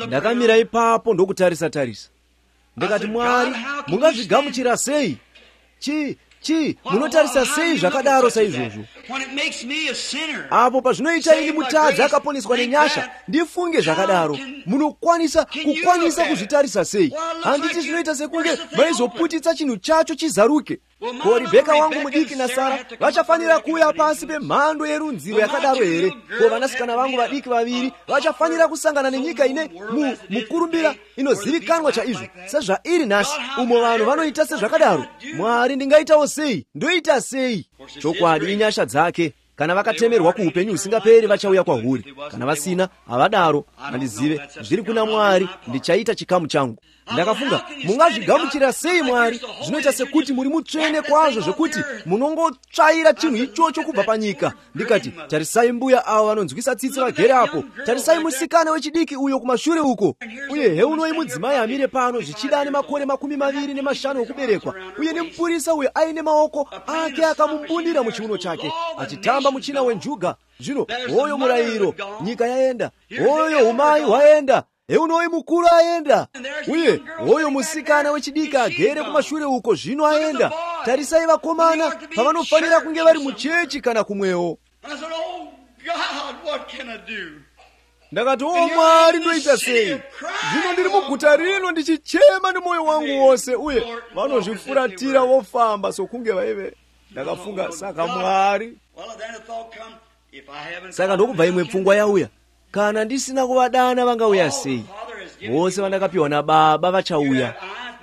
Speaker 1: Ndakamira ipapo ndokutarisa. Ndakati, Mwari, mungazvigamuchira sei? Munotarisa sei zvakadaro saizvozvo? Apo pazvinoita ini mutadzi akaponeswa nenyasha ndifunge zvakadaro, munokwanisa kuzvitarisa sei? Handiti zvinoita sekunge vaizoputitsa chinhu chacho chizaruke. Ko Ribheka wangu mudiki naSara vachafanira kuuya pasi pemhando yerunziro yakadaro here? Ko vanasikana vangu vadiki vaviri vachafanira kusangana nenyika ine mukurumbira inozivikanwa chaizvo sezvairi nhasi, umo vanhu vanoita sezvakadaro? Mwari, ndingaitawo sei? Ndoita sei? Chokwadi inyasha dzake. Kana vakatemerwa kuupenyu husingaperi vachauya kwahuri, kana vasina havadaro. Handizive, zviri kuna Mwari, ndichaita chikamu changu. Ndakafunga, mungazvigamuchira sei Mwari? Zvinoita sekuti muri mutsvene kwazvo zvekuti munongotsvaira chinhu ichocho kubva panyika. Ndikati, tarisai mbuya avo vanonzwisa tsitsi vagere apo. Tarisai musikana wechidiki uyo kumashure uko. Uye heunoi mudzimai amire pano zvichida ane makore 25 okuberekwa, uye nemupurisa uyo aine maoko ake akamumbundira muchiuno chake, achitamba muchina wenjuga. Zvino hoyo murayiro, nyika yaenda. Hoyo umai hwaenda. Eunoi mukuru aenda. Uye hoyo musikana wechidiki agere kumashure uko zvino aenda. Tarisai vakomana pavanofanira kunge vari muchechi kana kumwewo. Ndakati, Mwari, ndoita sei? Zvino ndiri muguta rino ndichichema nemoyo wangu wose, uye vanozvifuratira vofamba sokunge vaive. Ndakafunga, saka Mwari. Saka ndokubva imwe pfungwa yauya. Kana ndisina kuvadana vangauya sei? Vose vandakapiwa naBaba vachauya.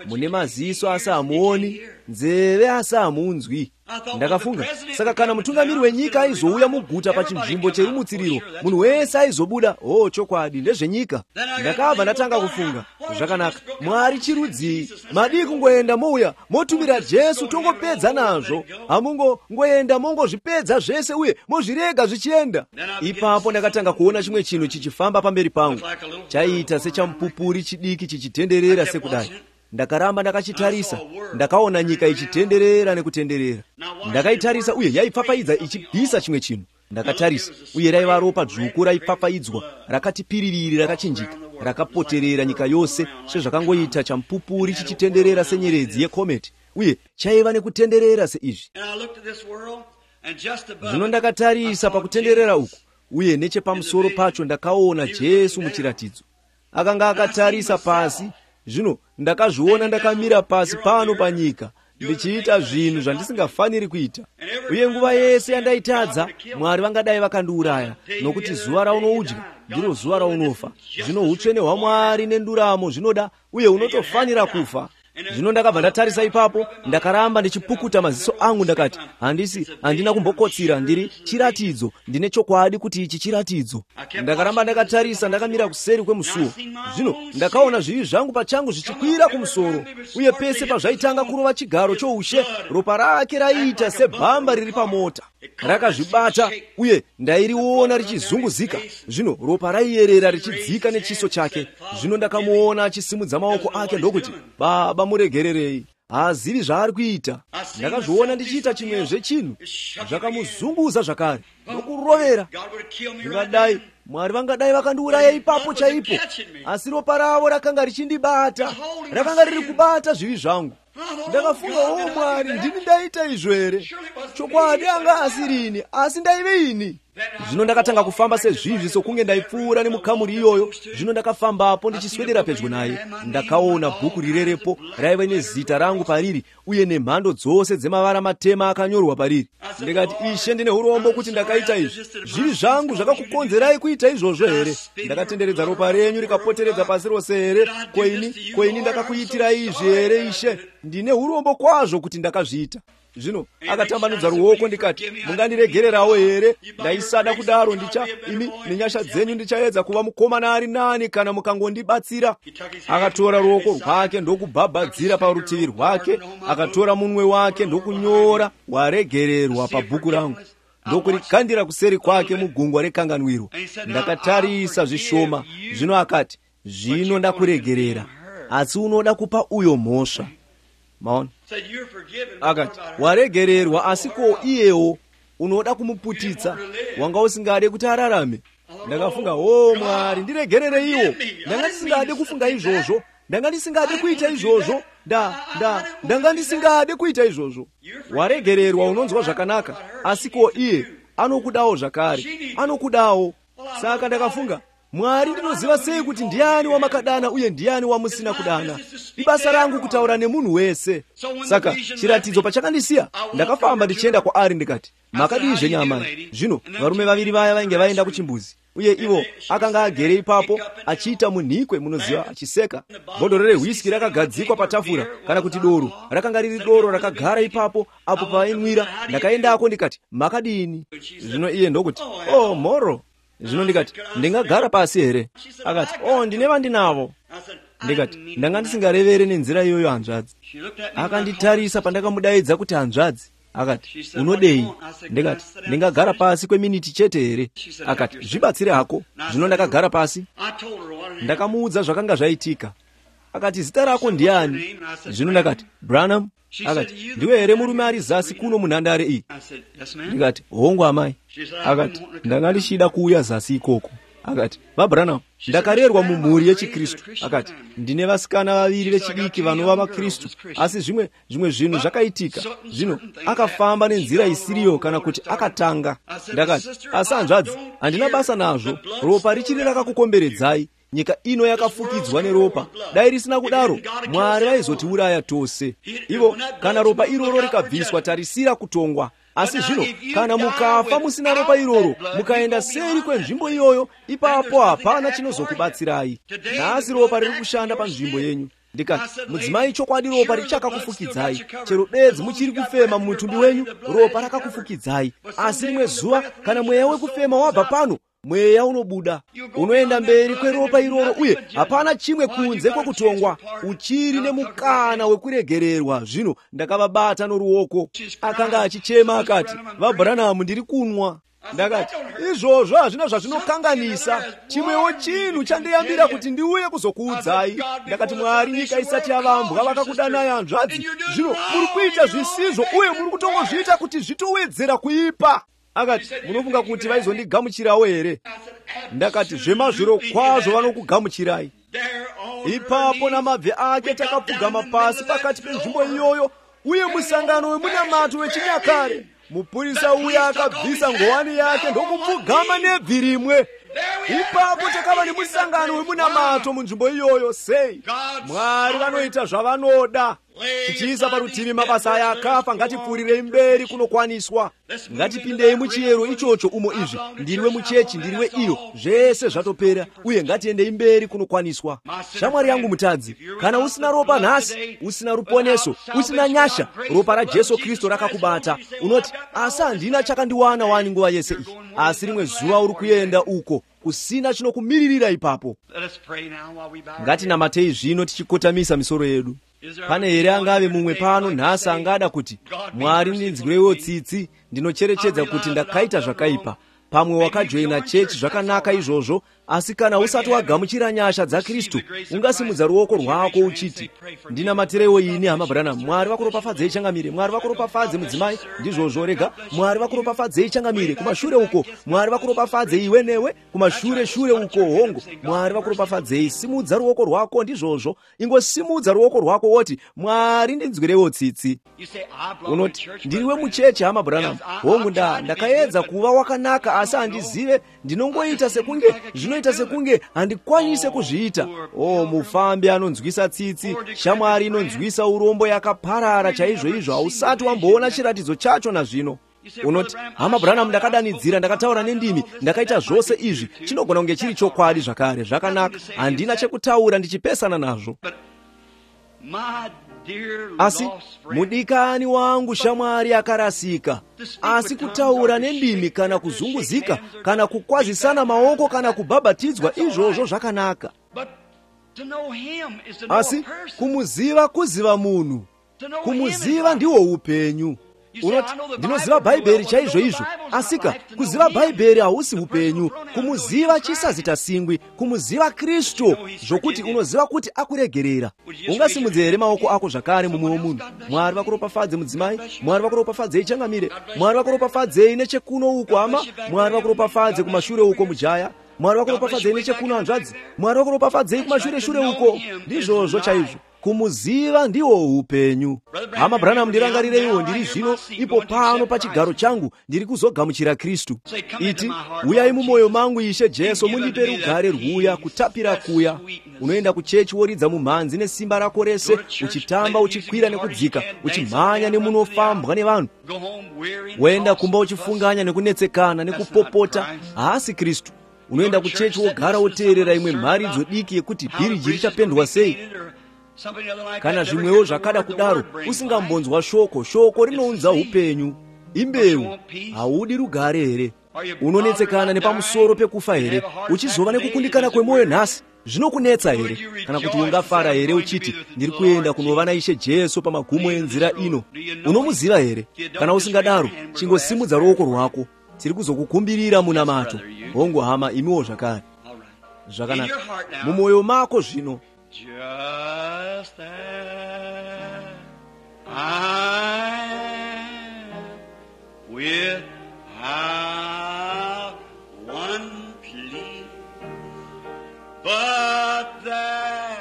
Speaker 1: Mune maziso asi hamuoni, nzeve asi hamunzwi. Ndakafunga, saka kana mutungamiri wenyika aizouya muguta pachinzvimbo cheri mutsiriro, munhu wese aizobuda. Chokwadi, ndezvenyika. Ndakabva ndatanga kufunga, zvakanaka, Mwari chirudzii? Madi kungoenda mouya motumira Jesu tongopedza nazvo. Hamungongoenda mongozvipedza zvese uye mozvirega zvichienda. Ipapo ndakatanga kuona chimwe chinhu chichifamba pamberi pangu, chaita sechamupupuri chidiki chichitenderera sekudai. Ndakaramba ndakachitarisa, ndakaona nyika ichitenderera nekutenderera. Ndakaitarisa uye yaipfapfaidza ichibvisa chimwe chinhu. Ndakatarisa uye raiva ropa dzvuku raipfapfaidzwa, rakati piririri, rakachinjika, rakapoterera nyika yose sezvakangoita chamupupuri chichitenderera senyeredzi yekometi, uye chaiva nekutenderera seizvi. Zvino ndakatarisa pakutenderera uku, uye nechepamusoro pacho ndakaona Jesu muchiratidzo. Akanga akatarisa pasi. Zvino ndakazviona ndakamira pasi pano panyika, ndichiita zvinhu zvandisingafaniri kuita. Uye nguva yese yandaitadza, Mwari vangadai vakandiuraya, nokuti zuva raunoudya ndiro zuva raunofa. Zvino utsvene hwaMwari nenduramo zvinoda, uye unotofanira kufa. Zvino ndakabva ndatarisa ipapo, ndakaramba ndichipukuta maziso angu, ndakati, handina kumbokotsira, ndiri chiratidzo, ndine chokwadi kuti ichi chiratidzo. Ndakaramba ndakatarisa, ndakamira kuseri kwemusuo. Zvino ndakaona zvivi zvangu pachangu zvichikwira kumusoro, uye pese pazvaitanga kurova chigaro choushe, ropa rake raiita sebhamba riri pamota. Rakazvibata, uye ndairiona richizunguzika. Zvino ropa raiyerera richidzika nechiso chake. Zvino ndakamuona achisimudza maoko ake ndokuti, Baba muregererei, haazivi zvaari kuita. Ndakazviona ndichiita chimwezve chinhu, zvakamuzunguza zvakare nokurovera. Ndingadai Mwari vangadai vakandiuraya ipapo chaipo, asi ropa ravo rakanga richindibata, rakanga riri kubata zvivi zvangu. Ndakafunga, Mwari, ndini ndaita izvo here? Chokwadi anga asirini, asi ndaive ini. Zvino ndakatanga kufamba sezvizvi kunge ndaipfuura nemukhamuri iyoyo. Zvino ndakafambapo ndichiswedera pedyo naye, ndakaona bhuku rirerepo raiva nezita rangu pariri uye nemhando dzose dzemavara matema akanyorwa pariri. Ndikati, Ishe, ndine urombo kuti ndakaita izvi. Zviri zvangu zvakakukonzerai kuita izvozvo here? Ndakatenderedza ropa renyu rikapoteredza pasi rose here? Koini ndakakuitira izvi here, Ishe? Ndine urombo kwazvo kuti ndakazviita. Zvino akatambanudza ruoko ndikati, mungandiregererawo here? Ndaisada kudaro, imi nenyasha dzenyu ndichaedza kuva mukomana ari nani kana mukangondibatsira. Akatora ruoko rwake ndokubhabhadzira parutivi rwake, akatora munwe wake ndokunyora waregererwa pabhuku rangu, ndokurikandira kuseri kwake mugungwa rekanganwiro. Ndakatarisa zvishoma. Zvino akati, zvino ndakuregerera, asi unoda kupa uyo mhosva. Maona? Akati, waregererwa, asi ko iyewo unoda kumuputitsa, wanga usingade kuti ararame. Ndakafunga, Mwari, ndiregerere iwo. Ndanga ndisingade kufunga izvozvo. Ndanga ndisingade kuita izvozvo. Ndanga ndisingade kuita izvozvo. Waregererwa, unonzwa zvakanaka, asi ko iye anokudawo zvakare. Anokudawo. Saka ndakafunga, Mwari, ndinoziva sei kuti ndiani wamakadana uye ndiani wamusina kudana? Ibasa rangu kutaura nemunhu wese. Saka chiratidzo pachakandisiya, ndakafamba ndichienda kwaari ndikati, makadizve nyama? Zvino varume vaviri vaya vainge vaenda kuchimbuzi, uye ivo akanga agere ipapo achiita munhikwe, munoziva, achiseka. Bhodhoro rehwiski rakagadzikwa patafura, kana kuti doro rakanga riri doro rakagara ipapo apo pavainwira. Ndakaendako ndikati, makadini? Zvino iye ndokuti, mhoro. Zvino ndikati, ndingagara pasi here? Akati, ndine vandinavo. Ndikati, ndanga ndisingarevere nenzira iyoyo hanzvadzi. Akanditarisa pandakamudaidza kuti hanzvadzi. Akati, unodei? Ndikati, ndingagara pasi kweminiti chete here? Akati, zvibatsire hako. Zvino ndakagara pasi. Ndakamuudza zvakanga zvaitika. Akati, zita rako ndiani? Zvino ndakati, Branham. Akati, ndiwe here murume ari zasi kuno munhandare iyi? Ndikati, hongu amai. Akati, ndanga ndichida kuuya zasi ikoko. Akati, vaBranham, ndakarerwa mumhuri yechiKristu. Akati, ndine vasikana vaviri vechidiki vanova vaKristu, asi zvimwe zvinhu zvakaitika. Zvino akafamba nenzira isiriyo, kana kuti akatanga. Ndakati, asi hanzvadzi, handina basa nazvo. Ropa richiri rakakukomberedzai. Nyika ino yakafukidzwa neropa. Dai risina kudaro, Mwari vaizotiuraya tose. Ivo, kana ropa iroro rikabviswa, tarisira kutongwa. Asi zvino, kana mukafa musina ropa iroro, mukaenda seri kwenzvimbo iyoyo, ipapo hapana chinozokubatsirai. Nhasi ropa riri kushanda panzvimbo yenyu. Ndikati, mudzimai, chokwadi ropa richakakufukidzai. Chero bedzi muchiri kufema mumutumbi wenyu, ropa rakakufukidzai. Asi rimwe zuva, kana mweya wekufema wabva pano, mweya unobuda, unoenda mberi kweropa iroro, uye hapana chimwe kunze kwekutongwa. Uchiri nemukana wekuregererwa. Zvino ndakavabata noruoko. Akanga achichema akati, vaBranham, ndiri kunwa. Ndakati, izvozvo hazvina zvazvinokanganisa. Chimwewo chinhu chandiyambira kuti ndiuye kuzokuudzai. Ndakati, Mwari, nyika isati yavambwa vakakudanai hanzvadzi. Zvino muri kuita zvisizvo uye muri kutongozviita kuti zvitowedzera kuipa. Akati, munofunga kuti vaizondigamuchirawo here? Ndakati, zvemazviro kwazvo vanokugamuchirai. Ipapo namabvi ake takapfugama pasi pakati penzvimbo iyoyo, uye musangano wemunamato wechinyakare. Mupurisa uya akabvisa ngowani yake ndokupfugama nebvi rimwe. Ipapo takava nemusangano wemunamato munzvimbo iyoyo. Sei Mwari vanoita zvavanoda. Tichiisa parutivi mabasa aya akafa, ngatipfuurirei mberi kunokwaniswa. Ngatipindei muchiyero ichocho umo izvi. Ndiriwe muchechi, ndiriwe iyo, zvese zvatopera, uye ngatiendei mberi kunokwaniswa. Shamwari yangu mutadzi, kana usina ropa nhasi, usina ruponeso, usina nyasha, ropa raJesu Kristu rakakubata. Unoti, asi handina chakandiwana wani nguva yese iyi. Asi rimwe zuva uri kuenda uko, kusina chinokumiririra ipapo. Ngatinamatei zvino tichikotamisa misoro yedu. Pane here angave mumwe pano nhasi angada kuti, Mwari, ndinzwirewo tsitsi, ndinocherechedza kuti ndakaita zvakaipa. Pamwe wakajoina chechi zvakanaka izvozvo, asi kana usati wagamuchira nyasha dza Khristu ungasimudza ruoko rwako uchiti, ndinamatirewo ini hama Branham, Mwari vakuropafadzei changamire, Mwari vakuropafadze mudzimai, ndizvozvo rega, Mwari vakuropafadzei changamire, kumashure uko Mwari vakuropafadzei iwe newe, kumashure uko hongo, Mwari vakuropafadzei. Simudza ruoko rwako, ndizvozvo, ingosimudza ruoko rwako woti, Mwari ndinzwirewo tsitsi. Unoti ndiriwe mucheche hama Branham, hongu ndakaedza kuva wakanaka asi handizive, ndinongoita sekunge zvinoita sekunge handikwanise kuzviita. Mufambi anonzwisa tsitsi, shamwari inonzwisa urombo yakaparara chaizvo, hausati wamboona chiratidzo chacho nazvino. Unoti hama Branham, ndakadanidzira, ndakataura nendimi, ndakaita zvose izvi, chinogona kunge chiri chokwadi zvakare, zvakanaka, handina chekutaura ndichipesana nazvo. Asi mudikani wangu shamwari akarasika, asi kutaura nendimi kana kuzunguzika kana kukwazisana maoko kana kubhabhatidzwa, izvozvo zvakanaka. Asi kumuziva, kuziva munhu, kumuziva ndiwo upenyu. Unoti ndinoziva Bhaibheri chaizvo, asika kuziva Bhaibheri hausi upenyu. Kumuziva chisazita singwi, kumuziva Kristu, zvokuti unoziva kuti akuregerera. Ungasimudze here maoko ako zvakare mumwe womunhu. Mwari vakuropafadze mudzimai, Mwari vakuropafadzei changamire, Mwari vakuropafadzei nechekuno uko hama, Mwari vakuropafadze kumashure uko mujaya, Mwari vakuropafadzei nechekuno hanzvadzi, Mwari vakuropafadzei kumashure uko, ndizvozvo chaizvo. Kumuziva ndiwo upenyu. Hama Branham, ndirangarireiwo ndiri zvino ipo pano pachigaro changu ndiri kuzogamuchira Kristu. Iti, uyai mumwoyo mangu Ishe Jesu, mundipe rugare rwuya, kutapira kuya. Unoenda kuchechi woridza mumhanzi nesimba rako rese, uchitamba, uchikwira nekudzika, uchimhanya nemunofambwa nevanhu. Woenda kumba uchifunganya nekunetsekana nekupopota, haasi Kristu. Unoenda kuchechi wogara woteerera imwe mharidzo diki yekuti bhiriji richapendwa sei, kana zvimwewo zvakada kudaro, usingambonzwa shoko rinounza upenyu. Imbeu, haudi rugare here? Unonetsekana nepamusoro pekufa here, uchizova nekukundikana kwemwoyo nhasi? Zvinokunetsa here? Kana kuti ungafara here uchiti, ndiri kuenda kunova naIshe Jesu pamagumo enzira ino? Unomuziva here? Kana usingadaro, chingosimudza ruoko rwako, tiri kuzokukumbirira munamato. Hongu hama, imiwo zvakare. Zvakanaka. Mumwoyo mako zvino,
Speaker 2: just as I am, without one plea, but that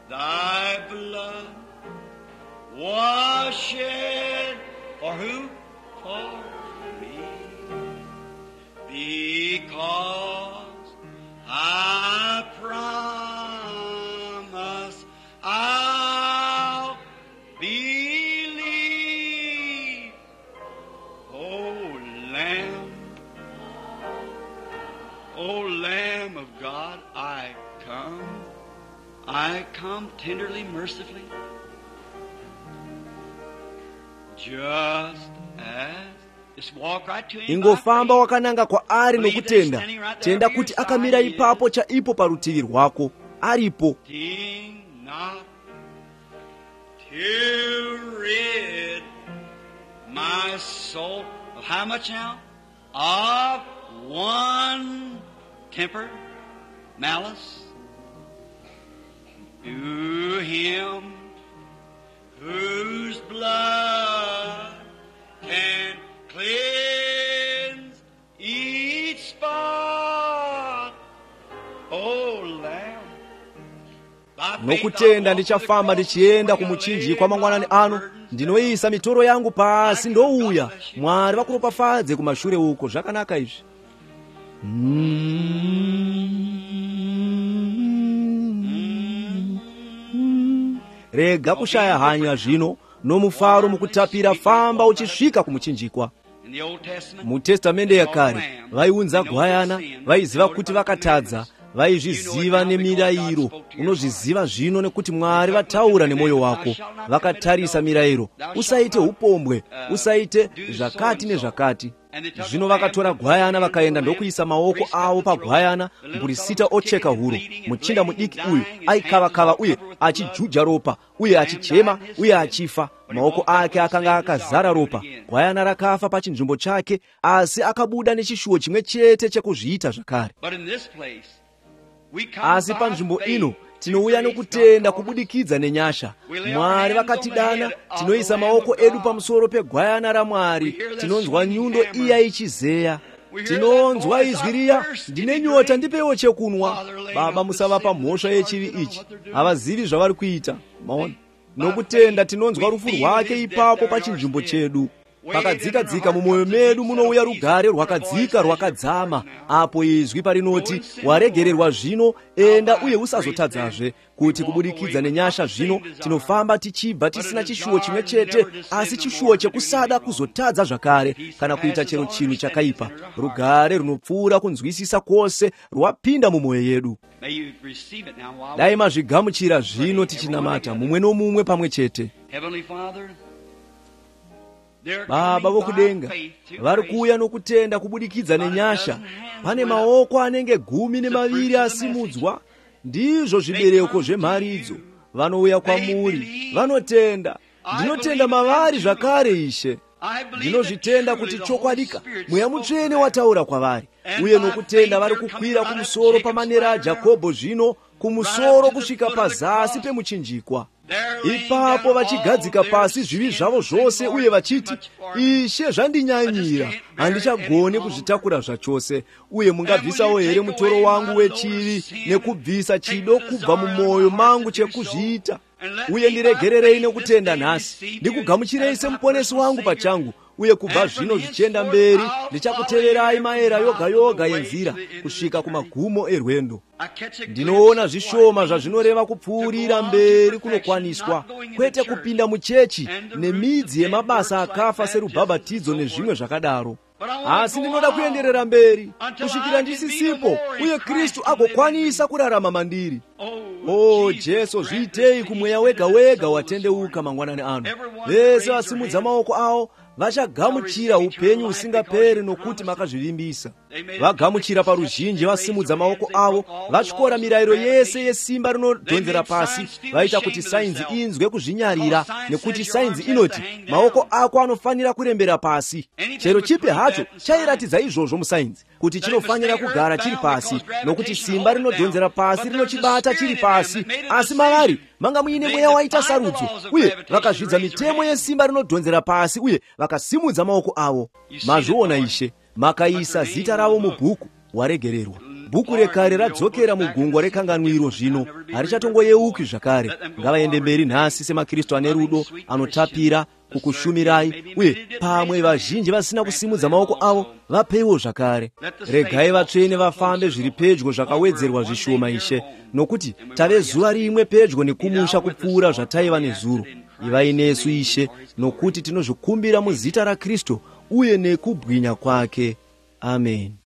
Speaker 2: thy blood was shed for who? For me. Because I promise I'll believe. O Lamb of God, I come tenderly, mercifully, just as.
Speaker 1: ingofamba wakananga kwaari nokutenda, tenda kuti akamira ipapo chaipo parutivi rwako, aripo.
Speaker 2: To rid my soul of how much now? Of one temper, malice. To him whose blood can cleanse each spot. Oh Lamb.
Speaker 1: Nokutenda ndichafamba ndichienda kumuchinjikwa mangwanani ano, ndinoisa mitoro yangu pasi ndouya. Mwari vakuropafadze kumashure uko. Zvakanaka izvi. Rega kushaya hanya zvino, nomufaro mukutapira, famba uchisvika kumuchinjikwa. Mutestamende yakare vaiunza gwayana, vaiziva kuti vakatadza, vaizviziva nemirayiro. Unozviziva zvino nekuti Mwari vataura nemwoyo wako, vakatarisa mirayiro. Usaite upombwe, usaite zvakati nezvakati. Zvino vakatora gwayana vakaenda ndokuyisa maoko avo pagwayana mburisita ocheka huro. Muchinda mudiki uyu aikava-kava uye achijuja ropa uye achichema uye achifa. Maoko ake akanga akazara ropa. Gwayana rakafa pachinzvimbo chake, asi akabuda nechishuwo chimwe chete chekuzviita zvakare. Asi panzvimbo ino tinouya nokutenda kubudikidza nenyasha. Mwari vakatidana, tinoisa maoko edu pamusoro pegwayana raMwari. Tinonzwa nyundo iya ichizeya. Tinonzwa izwi riya, ndine nyota, ndipewo chekunwa. Baba, musavapa mhosva yechivi ichi, havazivi zvavari kuita. Maona, nokutenda tinonzwa rufu rwake ipapo pachinzvimbo chedu. Pakadzika-dzika mumwoyo medu munouya rugare rwakadzika rwakadzama. Apo izwi parinoti, waregererwa zvino, enda uye usazotadzazve. Kuti kubudikidza nenyasha zvino tinofamba tichibva tisina chishuwo chimwe chete, asi chishuwo chekusada kuzotadza zvakare kana kuita chero chinhu chakaipa. Rugare runopfuura kunzwisisa kwose rwapinda mumwoyo yedu. Dai mazvigamuchira zvino tichinamata mumwe nomumwe pamwe chete. Baba vokudenga, vari kuuya nokutenda kubudikidza nenyasha. Pane maoko anenge 12 asimudzwa. Ndizvo zvibereko zvemharidzo. Vanouya kwamuri, vanotenda. Ndinotenda mavari zvakare, Ishe. Ndinozvitenda kuti chokwadika Mweya Mutsvene wataura kwavari. Uye nokutenda vari kukwira kumusoro pamanera aJakobho zvino, kumusoro kusvika pazasi pemuchinjikwa. Ipapo vachigadzika pasi zvivi zvavo zvose uye vachiti, Ishe, zvandinyanyira, handichagoni kuzvitakura zvachose. Uye mungabvisawo here mutoro wangu wechivi nekubvisa chido kubva mumwoyo mangu chekuzviita. Uye ndiregererei nekutenda nhasi, ndikugamuchirei semuponesi wangu pachangu. Uye kubva zvino zvichienda mberi, ndichakuteverai maera yoga yoga yenzira kusvika kumagumo erwendo. Ndinoona zvishoma zvazvinoreva kupfuurira mberi kunokwaniswa, kwete kupinda muchechi nemidzi yemabasa akafa serubhabhatidzo nezvimwe zvakadaro. Asi ndinoda kuenderera mberi kusvikira ndisisipo uye Kristu agokwanisa kurarama mandiri. O Jesu, zviitei kumweya wega wega watendeuka mangwanani ano. Vese vasimudza maoko avo vachagamuchira upenyu usingaperi nokuti makazvivimbisa. Vagamuchira paruzhinji vasimudza maoko avo, vatyora mirayiro yese yesimba rinodhonzera pasi, vaita kuti sainzi inzwe kuzvinyarira, nekuti sainzi inoti maoko ako anofanira kurembera pasi. Chero chipi hacho chairatidza izvozvo musainzi, kuti chinofanira kugara chiri pasi, nokuti simba rinodhonzera pasi rinochibata chiri pasi. Asi mavari manga muine mweya waita sarudzo, uye vakazvidza mitemo yesimba rinodhonzera pasi uye vakasimudza maoko avo. Mazviona Ishe, makaisa zita ravo mubhuku, waregererwa. Bhuku rekare radzokera mugungwa rekanganwiro zvino, harichatongoyeuki zvakare. Ngavaende mberi nhasi semaKristu ane rudo, anotapira kukushumirai, uye pamwe vazhinji vasina kusimudza maoko avo vapeiwo zvakare. Regai vatsvene vafambe zviri pedyo zvakawedzerwa zvishoma, Ishe, nokuti tave zuva rimwe pedyo nekumusha kupfuura zvataiva nezuro. Ivai nesu, Ishe, nokuti tinozvikumbira muzita raKristu uye nekubwinya kwake. Amen.